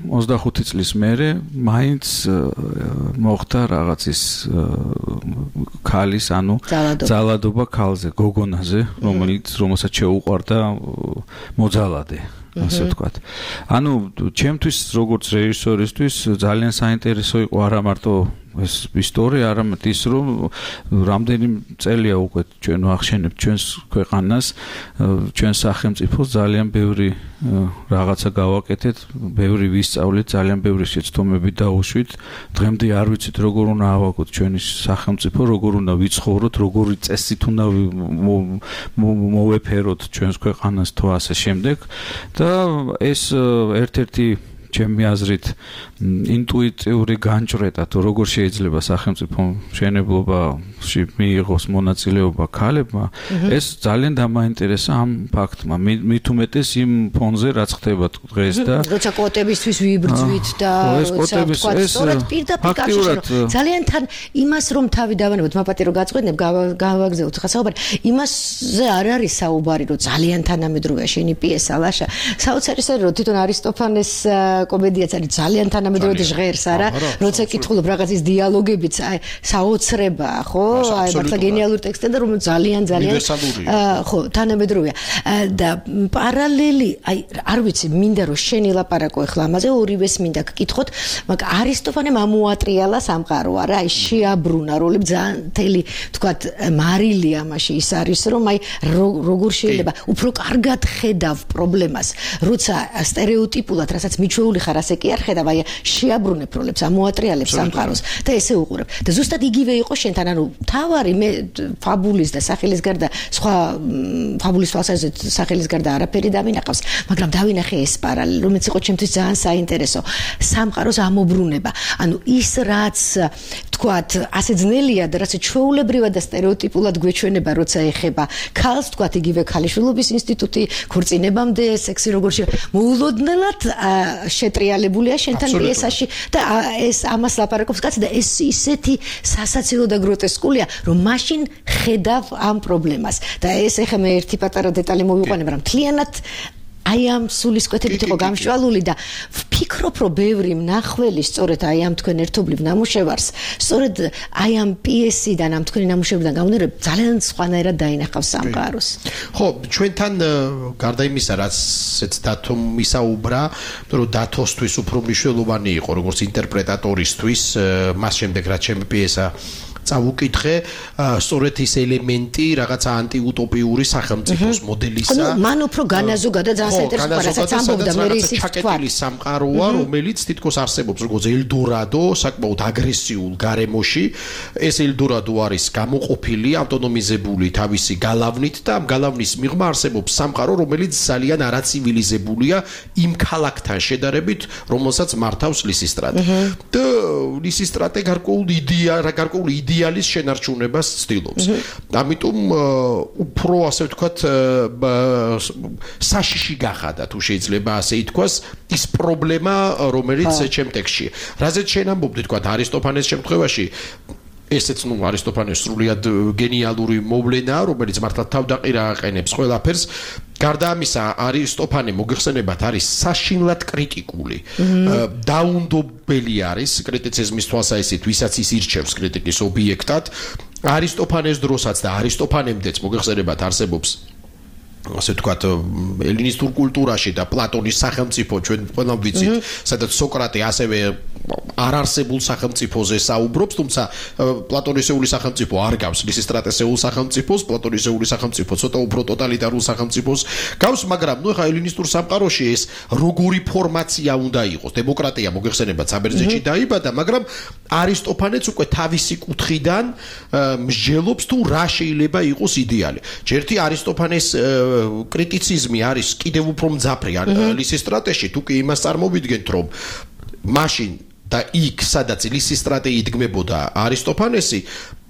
Speaker 7: ოცდახუთი წლის მერე მაინც მოხდა რაღაც ის ქალის ანუ ძალადობა ქალზე გოგონაზე რომელიც რომელსაც შეუყვარდა მოძალადე ასე ვთქვათ. ანუ ჩემთვის როგორც რეჟისორისთვის ძალიან საინტერესო იყო არა მარტო ეს ისტორია, არამედ ის რომ რამდენი წელია უკვე ჩვენ ვახშენებთ ჩვენს ქვეყანას, ჩვენს სახელმწიფოს ძალიან ბევრი რაღაცა გავაკეთეთ, ბევრი ვისწავლეთ, ძალიან ბევრი შეცდომები დაუშვით. დღემდე არ ვიცით როგორ უნდა ავაგოთ ჩვენი სახელმწიფო, როგორ უნდა ვიცხოვროთ, როგორი წესით უნდა მოვეფეროთ ჩვენს ქვეყანას თუ ასე შემდეგ და ეს ერთ-ერთი ჩემი აზრით ინტუიტიური განჭრედა თუ როგორ შეიძლება სახელმწიფო მშენებლობაში მიიღოს მონაწილეობა ქალებმა, ეს ძალიან დამაინტერესა ამ ფაქტმა. მით უმეტეს იმ ფონზე რაც ხდება დღეს და
Speaker 3: როცა კვოტებისთვის ვიბრძვით და როცა სწორად პირდაპირ კავშირში ძალიან თან იმას რომ თავი დავანებოთ, მაპატირო გაწყვეტნებ, გავაგზავნოთ ხა საუბარი, იმასზე არ არის საუბარი, რომ ძალიან თანამედროვეა შენი პიესა ლაშა. საოცარი სერი რომ თვითონ არისტოფანეს კომედიაც არის ძალიან თანამედროვე და ჟღერს არა, როცა კითხულობ რაღაცის დიალოგებიც, აი საოცრებაა, ხო? აი მართლა გენიალური ტექსტია და რომ ძალიან ძალიან ხო, თანამედროვეა. და პარალელი, აი არ ვიცი, მინდა რომ შენი ლაპარაკო ახლა ამაზე ორივეს მინდა გკითხოთ, მაგრამ არისტოფანემ ამოატრიალა სამყარო, არა, აი შეაბრუნა როლები ძალიან თელი, თქვათ, მარილი ამაში ის არის, რომ აი როგორ შეიძლება უფრო კარგად ხედავ პრობლემას, როცა სტერეოტიპულად, რასაც მიჩვეული ხარ, ასე კი არ ხედავ, აი შეაბრუნებ როლებს, ამოატრიალებ სამყაროს და ესე უყურებ. და ზუსტად იგივე იყო შენთან, ანუ თავარი მე ფაბულის და სახელის გარდა სხვა ფაბულის თვალსაზრისით სახელის გარდა არაფერი დავინახავს, მაგრამ დავინახე ეს პარალელი, რომელიც იყო ჩემთვის ძალიან საინტერესო. სამყაროს ამობრუნება. ანუ ის რაც თქვათ, ასე ძნელია და რაც ჩვეულებრივად და სტერეოტიპულად გვეჩვენება, როცა ეხება ქალს, თქვათ, იგივე ქალიშვილობის ინსტიტუტი, ქორწინებამდე სექსი როგორ შეიძლება მოულოდნელად შეტრიალებულია შენთან პიესაში და ეს ამას ლაპარაკობს კაცი და ეს ისეთი სასაცილო და გროტესკულია, რომ მაშინ ხედავ ამ პრობლემას. და ეს ეხლა მე ერთი პატარა დეტალი მოვიყვანებ, მაგრამ მთლიანად აი ამ სულისკვეთებით იყო გამშვალული და ვფიქრობ, რომ ბევრი მნახველი სწორედ აი ამ თქვენ ერთობლივ ნამუშევარს, სწორედ აი ამ პიესიდან, ამ თქვენი ნამუშევრიდან გამომდინარე, ძალიან სხვანაირად დაინახავს სამყაროს.
Speaker 8: ხო, ჩვენთან გარდა იმისა, რაც ეს დათომ ისაუბრა, რომ დათოსთვის უფრო მნიშვნელოვანი იყო, როგორც ინტერპრეტატორისთვის, მას შემდეგ რაც ჩემი პიესა წავუკითხე, სწორედ ის ელემენტი რაღაცა ანტიუტოპიური სახელმწიფოს მოდელისა.
Speaker 3: ანუ მან უფრო განაზოგადა ძალიან საინტერესო, რასაც ამბობდა მე ისიც თქვა.
Speaker 8: ჩაკეტილი სამყაროა, რომელიც თითქოს არსებობს როგორც ელდორადო, საკმაოდ აგრესიულ გარემოში. ეს ელდორადო არის გამოყოფილი, ავტონომიზებული თავისი გალავნით და ამ გალავნის მიღმა არსებობს სამყარო, რომელიც ძალიან არაცივილიზებულია იმ ქალაქთან შედარებით, რომელსაც მართავს ლისისტრატე. და ლისისტრატე გარკვეულ იდეა, გარკვეულ იდეალის შენარჩუნებას ცდილობს. ამიტომ უფრო ასე ვთქვათ საშიში გახადა თუ შეიძლება ასე ითქვას ის პრობლემა, რომელიც ჩემ ტექსტში. რაზეც შენ ამბობდი თქვათ არისტოფანეს შემთხვევაში ესეც ნუ არისტოფანეს სრულიად გენიალური მოვლენაა, რომელიც მართლა თავდაყირა აყენებს ყველაფერს. გარდა ამისა, არისტოფანე მოგეხსენებათ არის საშინლად კრიტიკული. დაუნდობელი არის კრიტიციზმის თვალსაზრისით, ვისაც ის ირჩევს კრიტიკის ობიექტად. არისტოფანეს დროსაც და არისტოფანემდეც მოგეხსენებათ არსებობს ასე ვთქვათ, ელინისტურ კულტურაში და პლატონის სახელმწიფო ჩვენ ყველამ ვიცით, სადაც სოკრატე ასევე არარსებულ სახელმწიფოზე საუბრობს, თუმცა პლატონისეული სახელმწიფო არ გავს ლისისტრატესეულ სახელმწიფოს, პლატონისეული სახელმწიფო ცოტა უფრო ტოტალიტარულ სახელმწიფოს გავს, მაგრამ ნუ ხა ელინისტურ სამყაროში ეს როგორი ფორმაცია უნდა იყოს? დემოკრატია მოგეხსენებათ საბერძნეთში დაიბადა, მაგრამ არისტოფანეც უკვე თავისი კუთხიდან მსჯელობს თუ რა შეიძლება იყოს იდეალი. ჯერთი არისტოფანეს კრიტიციზმი არის კიდევ უფრო მძაფრი ლისისტრატეში, თუ კი იმას წარმოვიდგენთ, რომ მაშინ და იქ, სადაც ლისისტრატე იდგმებოდა არისტოფანესი,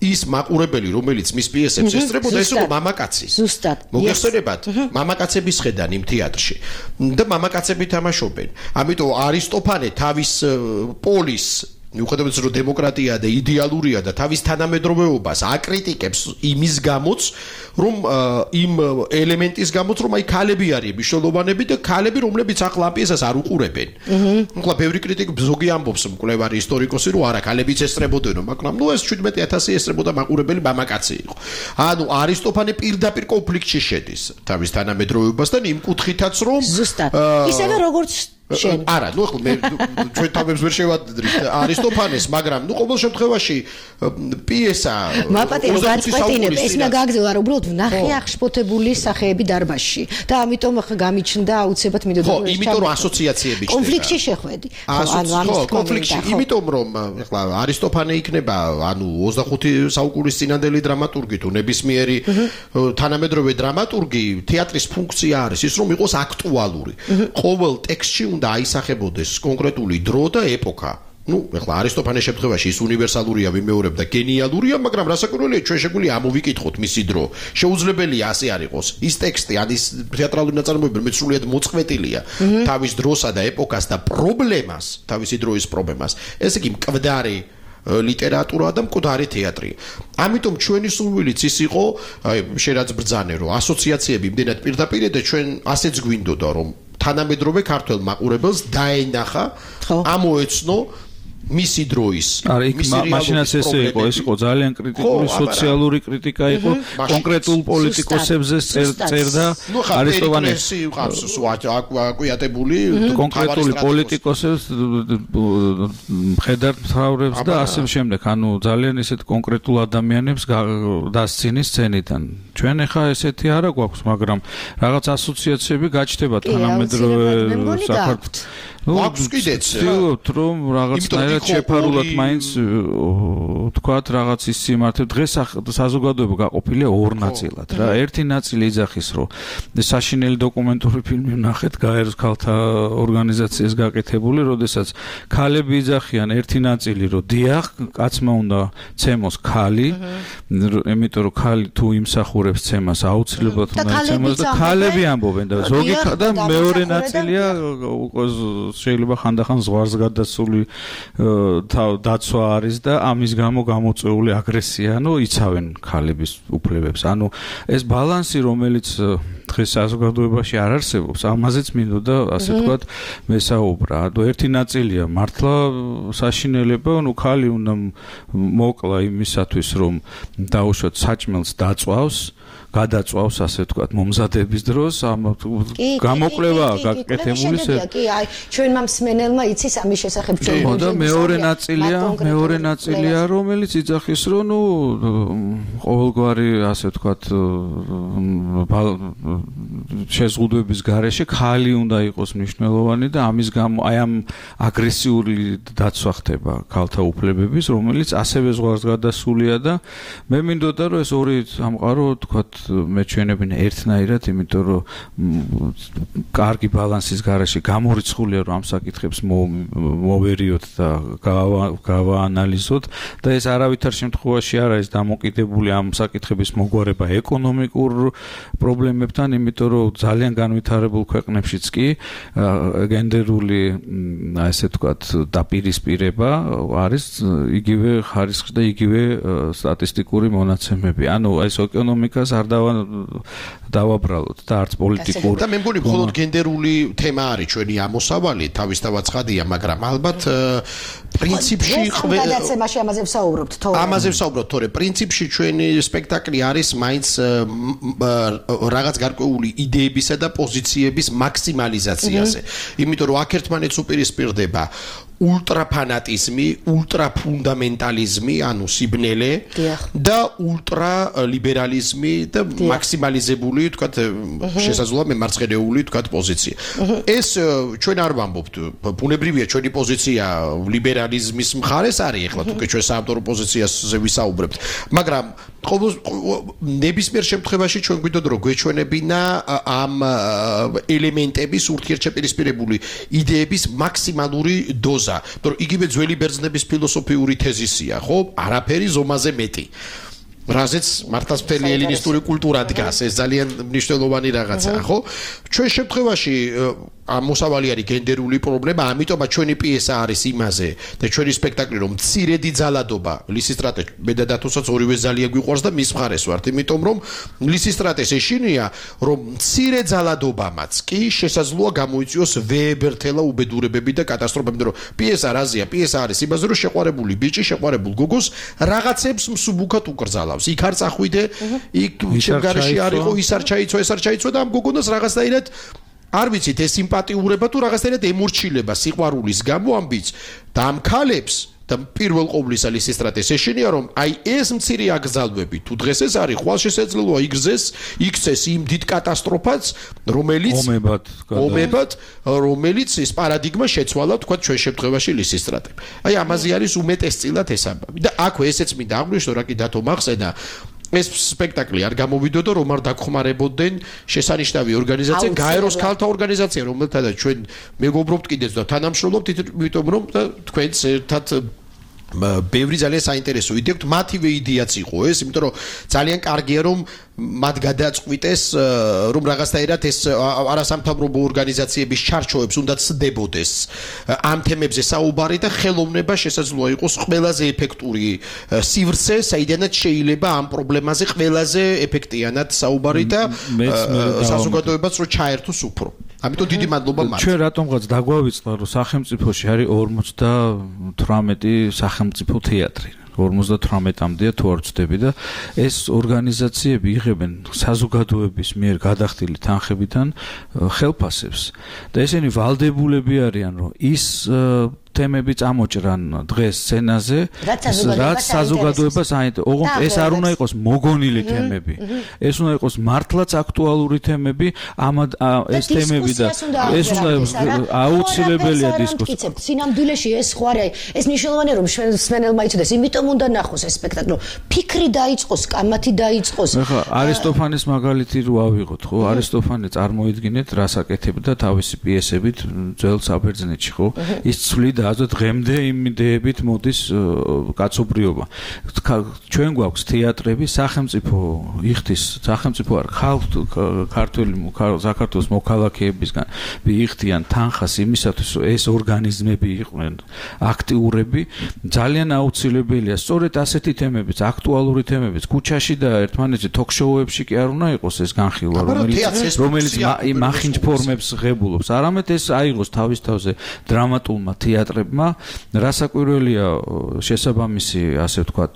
Speaker 8: ის მაყურებელი, რომელიც მის პიესებს ესწრებოდა, ეს იყო მამაკაცი.
Speaker 3: ზუსტად.
Speaker 8: მოგეხსენებათ, მამაკაცების ხედან იმ თეატრში. და მამაკაცები თამაშობენ. ამიტომ არისტოფანე თავის პოლის მიუხედავად რომ დემოკრატია და იდეალურია და თავის თანამედროვეობას აკრიტიკებს იმის გამოც, რომ იმ ელემენტის გამოც, რომ აი ქალები არიან მნიშვნელოვანები და ქალები, რომლებიც ახლა ამ პიესას არ უყურებენ. ახლა ბევრი კრიტიკი ზოგი ამბობს, მკვლევარი ისტორიკოსი, რომ არა, ქალებიც ესწრებოდნენ, მაგრამ ნუ ეს შვიდმეტი ათასი ესწრებოდა მაყურებელი მამაკაცი იყო. ანუ არისტოფანე პირდაპირ კონფლიქტში შედის თავის თანამედროვეობასთან იმ კუთხითაც, რომ
Speaker 3: ზუსტად. ისევე როგორც
Speaker 8: არა, ნუ ხო მე ჩვენ თავებს ვერ შევადრით არისტოფანეს, მაგრამ ნუ ყოველ შემთხვევაში პიესა
Speaker 3: მაპატიო გაწყვეტინებ, ეს უნდა გააგრძელო, არა უბრალოდ ვნახე აღშფოთებული სახეები დარბაზში და ამიტომ ხა გამიჩნდა აუცილებლად მინდოდა
Speaker 8: ხო, იმიტომ რომ ასოციაციები ჩნდება.
Speaker 3: კონფლიქტში შეხვედი.
Speaker 8: ანუ ამის კონფლიქტში, იმიტომ რომ ეხლა არისტოფანე იქნება, ანუ ოცდახუთი საუკუნის წინანდელი დრამატურგი თუ ნებისმიერი თანამედროვე დრამატურგი, თეატრის ფუნქცია არის ის რომ იყოს აქტუალური. ყოველ ტექსტში უნდა აისახებოდეს კონკრეტული დრო და ეპოქა. ნუ, ეხლა არისტოფანეს შემთხვევაში ის უნივერსალურია, ვიმეორებ და გენიალურია, მაგრამ რასაკვირველია, ჩვენ შეგვიძლია ამოვიკითხოთ მისი დრო. შეუძლებელია ასე არ იყოს. ის ტექსტი, ან ის თეატრალური ნაწარმოები, რომელიც სრულიად მოწყვეტილია თავის დროსა და ეპოქას და პრობლემას, თავისი დროის პრობლემას. ესე იგი, მკვდარი ლიტერატურა და მკვდარი თეატრი. ამიტომ ჩვენი სურვილიც ის იყო, აი, შერაც ბრძანე, რომ ასოციაციები იმდენად პირდაპირ და ჩვენ ასეც გვინდოდა, რომ თანამედროვე ქართველ მაყურებელს დაენახა, ამოეცნო მისი დროის.
Speaker 7: არა, იქ მაშინაც ესე იყო, ეს იყო ძალიან კრიტიკული სოციალური კრიტიკა იყო, კონკრეტულ პოლიტიკოსებზე წერდა არისტოფანეს
Speaker 8: აკვიატებული
Speaker 7: კონკრეტული პოლიტიკოსებს მხედართმთავრებს და ასე შემდეგ, ანუ ძალიან ესეთ კონკრეტულ ადამიანებს დასცინის სცენიდან. ჩვენ ახლა ესეთი არა გვაქვს, მაგრამ რაღაც ასოციაციები გაჩნდება თანამედროვე საქართველოს.
Speaker 8: აქვს კიდეც
Speaker 7: რომ რაღაცნაირად შეფარულად მაინც თქვათ რაღაც ის სიმართლე დღეს საზოგადოება გაყოფილია ორ ნაწილად რა. ერთი ნაწილი იძახის რომ საშინელი დოკუმენტური ფილმი ვნახეთ გაეროს ქალთა ორგანიზაციის გაკეთებული, როდესაც ქალები იძახიან ერთი ნაწილი რომ დიახ, კაცმა უნდა ცემოს ქალი, იმიტომ რომ ქალი თუ იმსახურებს ცემას აუცილებლად უნდა იცემოს და ქალები ამბობენ და ზოგი და მეორე ნაწილია შეიძლება ხანდახან ზღვარს გადასული დაცვა არის და ამის გამო გამოწვეული აგრესია, ანუ იცავენ ქალების უფლებებს. ანუ ეს ბალანსი, რომელიც დღეს საზოგადოებაში არ არსებობს, ამაზეც მინდოდა ასე ვთქვათ მესაუბრა. ანუ ერთი ნაწილია მართლა საშინელება, ანუ ქალი უნდა მოკლა იმისათვის, რომ დაუშვათ საჭმელს დაწვავს, გადაწვავს ასე ვთქვათ მომზადების დროს, ამ გამოკვლევაა გაკეთებული.
Speaker 3: კი, აი, ჩვენმა მსმენელმა იცის ამის შესახებ ჩვენ.
Speaker 7: ხო, და მეორე ნაწილია, მეორე ნაწილია, რომელიც იძახის, რომ ნუ ყოველგვარი ასე ვთქვათ შეზღუდვების გარეშე ქალი უნდა იყოს მნიშვნელოვანი და ამის გამო აი ამ აგრესიული დაცვა ხდება ქალთა უფლებების, რომელიც ასევე ზღვარს გადასულია და მე მინდოდა რომ ეს ორი სამყარო ვთქვათ მეჩვენებინა ერთნაირად, იმიტომ რომ კარგი ბალანსის გარეშე გამორიცხულია რომ ამ საკითხებს მოვერიოთ და გავაანალიზოთ და ეს არავითარ შემთხვევაში არ არის დამოკიდებული ამ საკითხების მოგვარება ეკონომიკურ პრობლემებთან, იმიტომ რომ ძალიან განვითარებულ ქვეყნებშიც კი გენდერული ასე ვთქვათ დაპირისპირება არის იგივე ხარისხის და იგივე სტატისტიკური მონაცემები. ანუ ეს ეკონომიკას არ დავაბრალოთ და არც პოლიტიკურ
Speaker 8: და მე მგონი მხოლოდ გენდერული თემა არის ჩვენი ამოსავალი, თავისთავად ცხადია, მაგრამ ალბათ პრინციპში
Speaker 3: გადაცემაში ამაზე ვსაუბრობთ, თორე
Speaker 8: ამაზე ვსაუბრობთ, თორე პრინციპში ჩვენი სპექტაკლი არის მაინც რაღაც გარკვეული იდეებისა და პოზიციების მაქსიმალიზაციაზე. იმიტომ რომ აქ ერთმანეთს უპირისპირდება ულტრაფანატიზმი, ულტრაფუნდამენტალიზმი, ანუ სიბნელე და ულტრალიბერალიზმი და მაქსიმალიზებული, თქვათ, შესაძლოა მემარცხენეული, თქვათ, პოზიცია. ეს ჩვენ არ ვამბობთ, ბუნებრივია ჩვენი პოზიცია ლიბერალიზმის მხარეს არის, ეხლა თუ კი ჩვენ საავტორო პოზიციაზე ვისაუბრებთ, მაგრამ ნებისმიერ შემთხვევაში ჩვენ გვინდოდა რომ გვეჩვენებინა ამ ელემენტების ურთიერთშეპირისპირებული იდეების მაქსიმალური დოზა. რომ იგივე ძველი ბერძნების ფილოსოფიური თეზისია, ხო? არაფერი ზომაზე მეტი. რაზეც მართლაც მთელი ელინისტური კულტურა დგას, ეს ძალიან მნიშვნელოვანი რაღაცაა, ხო? ჩვენ შემთხვევაში ამოსავალი არის გენდერული პრობლემა, ამიტომაც ჩვენი პიესა არის იმაზე და ჩვენი სპექტაკლი რომ მცირედი ძალადობა, ლისისტრატე მე და დათოსაც ორივე ძალიან გვიყვარს და მის მხარეს ვართ, იმიტომ რომ ლისისტრატეს ეშინია, რომ მცირე ძალადობამაც კი შესაძლოა გამოიწვიოს ვეებერთელა უბედურებები და კატასტროფები, რომ პიესა რაზეა? პიესა არის იმაზე, რომ შეყვარებული ბიჭი, შეყვარებულ გოგოს რაღაცებს მსუბუქად უკრძალავს. იქ არ წახვიდე, იქ შემგარეში არ იყო, ის არ ჩაიცვა, ეს არ ჩაიცვა და ამ გოგონას რაღაცნაირად არ ვიცით ეს სიმპათიურება თუ რაღაცნაირად ემორჩილება სიყვარულის გამო ამბიც და ამ ქალებს და პირველ ყოვლისა ლისისტრატეს ეშინია რომ აი ეს მცირე აკრძალვები თუ დღეს ეს არის ხვალ შესაძლოა იგრძეს იქცეს იმ დიდ კატასტროფას რომელიც
Speaker 7: ომებად
Speaker 8: ომებად რომელიც ეს პარადიგმა შეცვალა თქვა ჩვენ შემთხვევაში ლისისტრატებ აი ამაზე არის უმეტესწილად ეს ამბავი და აქვე ესეც მინდა აღვნიშნო რა კი დათო მახსენა ეს სპექტაკლი არ გამოვიდოდა რომ არ დაგხმარებოდნენ შესანიშნავი ორგანიზაცია გაეროს ქალთა ორგანიზაცია რომელთანაც ჩვენ მეგობრობთ კიდეც და თანამშრომლობთ იმიტომ რომ თქვენც ერთად ბევრი ძალიან საინტერესო იდეა გვთ მათივე იდეაც იყო ეს იმიტომ რომ ძალიან კარგია რომ მათ გადაწყვიტეს რომ რაღაცნაირად ეს არასამთავრობო ორგანიზაციების ჩარჩოებს უნდა ცდებოდეს ამ თემებზე საუბარი და ხელოვნება შესაძლოა იყოს ყველაზე ეფექტური სივრცე საიდანაც შეიძლება ამ პრობლემაზე ყველაზე ეფექტიანად საუბარი და საზოგადოებაც რომ ჩაერთოს უფრო ამიტომ დიდი მადლობა მათ.
Speaker 7: ჩვენ რატომღაც დაგვავიწყდა რომ სახელმწიფოში არის ორმოცდათვრამეტი სახელმწიფო თეატრი. ორმოცდათვრამეტამდეა თუ არ ვცდები და ეს ორგანიზაციები იღებენ საზოგადოების მიერ გადახდილი თანხებიდან ხელფასებს და ესენი ვალდებულები არიან რომ ის თემები წამოჭრან დღეს სცენაზე რაც საზოგადოებას აინტერესებს. ოღონდ ეს არ უნდა იყოს მოგონილი თემები. ეს უნდა იყოს მართლაც აქტუალური თემები, ამ ეს თემები და ეს უნდა აუცილებელია დისკუსია.
Speaker 3: სინამდვილეში ეს ხო არის, ეს მნიშვნელოვანია რომ სმენელმა იცოდეს, იმიტომ უნდა ნახოს ეს სპექტაკლი. ფიქრი დაიწყოს, კამათი დაიწყოს.
Speaker 7: ეხლა არისტოფანეს მაგალითი რო ავიღოთ, ხო? არისტოფანე წარმოიდგინეთ რას აკეთებდა თავისი პიესებით ძველ საბერძნეთში, ხო? ის ცვლიდა ასე დღემდე იმ იდეებით მოდის კაცობრიობა. ჩვენ გვაქვს თეატრები, სახელმწიფო იხდის, სახელმწიფო არ ქართული საქართველოს მოქალაქეებისგან იხდიან თანხას იმისათვის, რომ ეს ორგანიზმები იყვნენ აქტიურები, ძალიან აუცილებელია. სწორედ ასეთი თემებიც, აქტუალური თემებიც, ქუჩაში და ერთმანეთში თოქ-შოუებში კი არ უნდა იყოს ეს განხილვა, რომელიც რომელიც მახინჯ ფორმებს ღებულობს. არამედ ეს აიღოს თავის თავზე დრამატულმა თეატრ რასაკვირველია შესაბამისი ასე ვთქვათ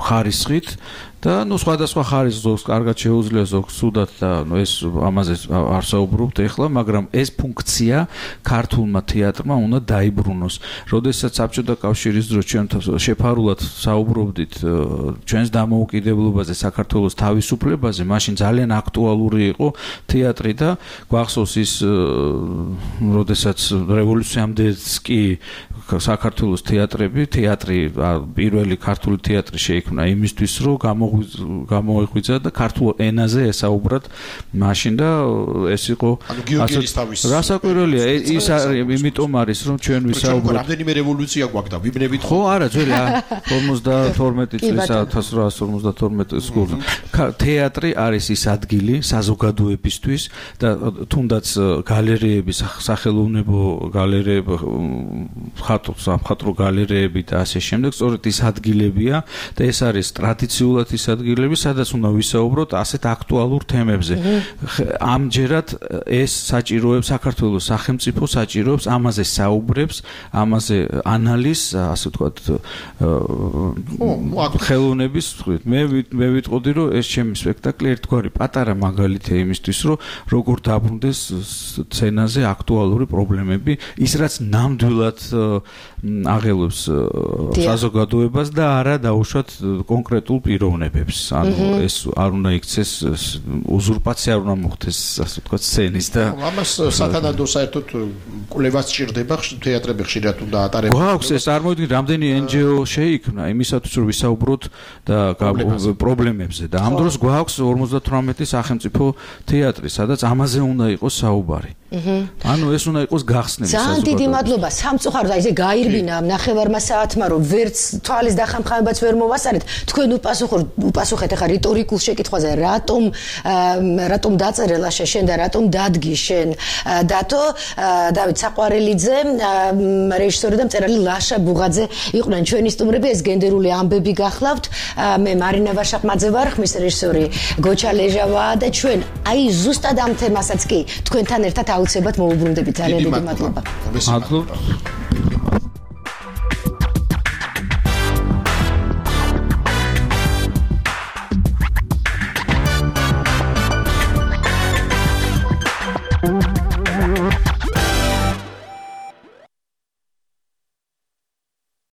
Speaker 7: ხარისხით და ნუ სხვადასხვა ხარისხს ზოგს კარგად შეუძლია ზოგს სუდად და ნუ ეს ამაზე არ საუბრობთ ეხლა, მაგრამ ეს ფუნქცია ქართულმა თეატრმა უნდა დაიბრუნოს. როდესაც საბჭოთა კავშირის დროს ჩვენ შეფარულად საუბრობდით ჩვენს დამოუკიდებლობაზე, საქართველოს თავისუფლებაზე, მაშინ ძალიან აქტუალური იყო თეატრი და გვახსოვს ის როდესაც რევოლუციამდეც კი საქართველოს თეატრები, თეატრი პირველი ქართული თეატრი შეიქმნა იმისთვის, რომ გამოიღვიძა და ქართულ ენაზე ესაუბრათ მაშინ და ეს იყო რასაკვირველია ის იმიტომ არის რომ ჩვენ ვისაუბროთ
Speaker 8: რამდენიმე რევოლუცია გვაქვს და ვიბნებით
Speaker 7: ხო არა ძველი ორმოცდათორმეტი წლის ათას რვაას ორმოცდათორმეტი წლის თეატრი არის ის ადგილი საზოგადოებისთვის და თუნდაც გალერეების სახელოვნებო გალერეები ხატო სამხატვრო გალერეები და ასე შემდეგ სწორედ ის ადგილებია და ეს არის ტრადიციულად ის ადგილები, სადაც უნდა ვისაუბროთ ასეთ აქტუალურ თემებზე. ამჯერად ეს საჭიროებს საქართველოს სახელმწიფო საჭიროებს ამაზე საუბრებს, ამაზე ანალიზს, ასე ვთქვათ, ხელოვნების მხრივ. მე მე ვიტყოდი, რომ ეს ჩემი სპექტაკლი ერთგვარი პატარა მაგალითია იმისთვის, რომ როგორ დაბრუნდეს სცენაზე აქტუალური პრობლემები, ის რაც ნამდვილად აღელვებს საზოგადოებას და არა დაუშვათ კონკრეტულ პიროვნებებს. ანუ ეს არ უნდა იქცეს უზურპაცია არ უნდა მოხდეს, ასე ვთქვათ, სცენის და
Speaker 8: ამას სათანადო საერთოდ კვლევას სჭირდება თეატრები ხშირად უნდა ატარებდეს.
Speaker 7: გვაქვს ეს წარმოიდგინეთ რამდენი ენ ჯი ო შეიქმნა იმისათვის რომ ვისაუბროთ და პრობლემებზე და ამ დროს გვაქვს ორმოცდათვრამეტი სახელმწიფო თეატრი, სადაც ამაზე უნდა იყოს საუბარი. ანუ ეს უნდა იყოს გახსნილი საზოგადოებას.
Speaker 3: ძალიან დიდი მადლობა სამწუხაროდ აი ესე გაირბინა ამ ნახევარმა საათმა რომ ვერც თვალის დახამხამებაც ვერ მოვასწარეთ. თქვენ უპასუხოთ უპასუხეთ ახლა რიტორიკულ შეკითხვაზე რატომ რატომ დაწერელა შენ და რატომ დადგი შენ დათო დავით საყვარელიძე რეჟისორი და მწერალი ლაშა ბუღაძე იყვნენ ჩვენი სტუმრები. ეს გენდერული ამბები გახლავთ. მე მარინა ვაშაყმაძე ვარ, ხმის რეჟისორი გოჩა ლეჟავაა და ჩვენ აი ზუსტად ამ თემასაც კი თქვენთან ერთად აუცილებლად მოუბრუნდებით. ძალიან დიდი მადლობა.
Speaker 7: მადლობა.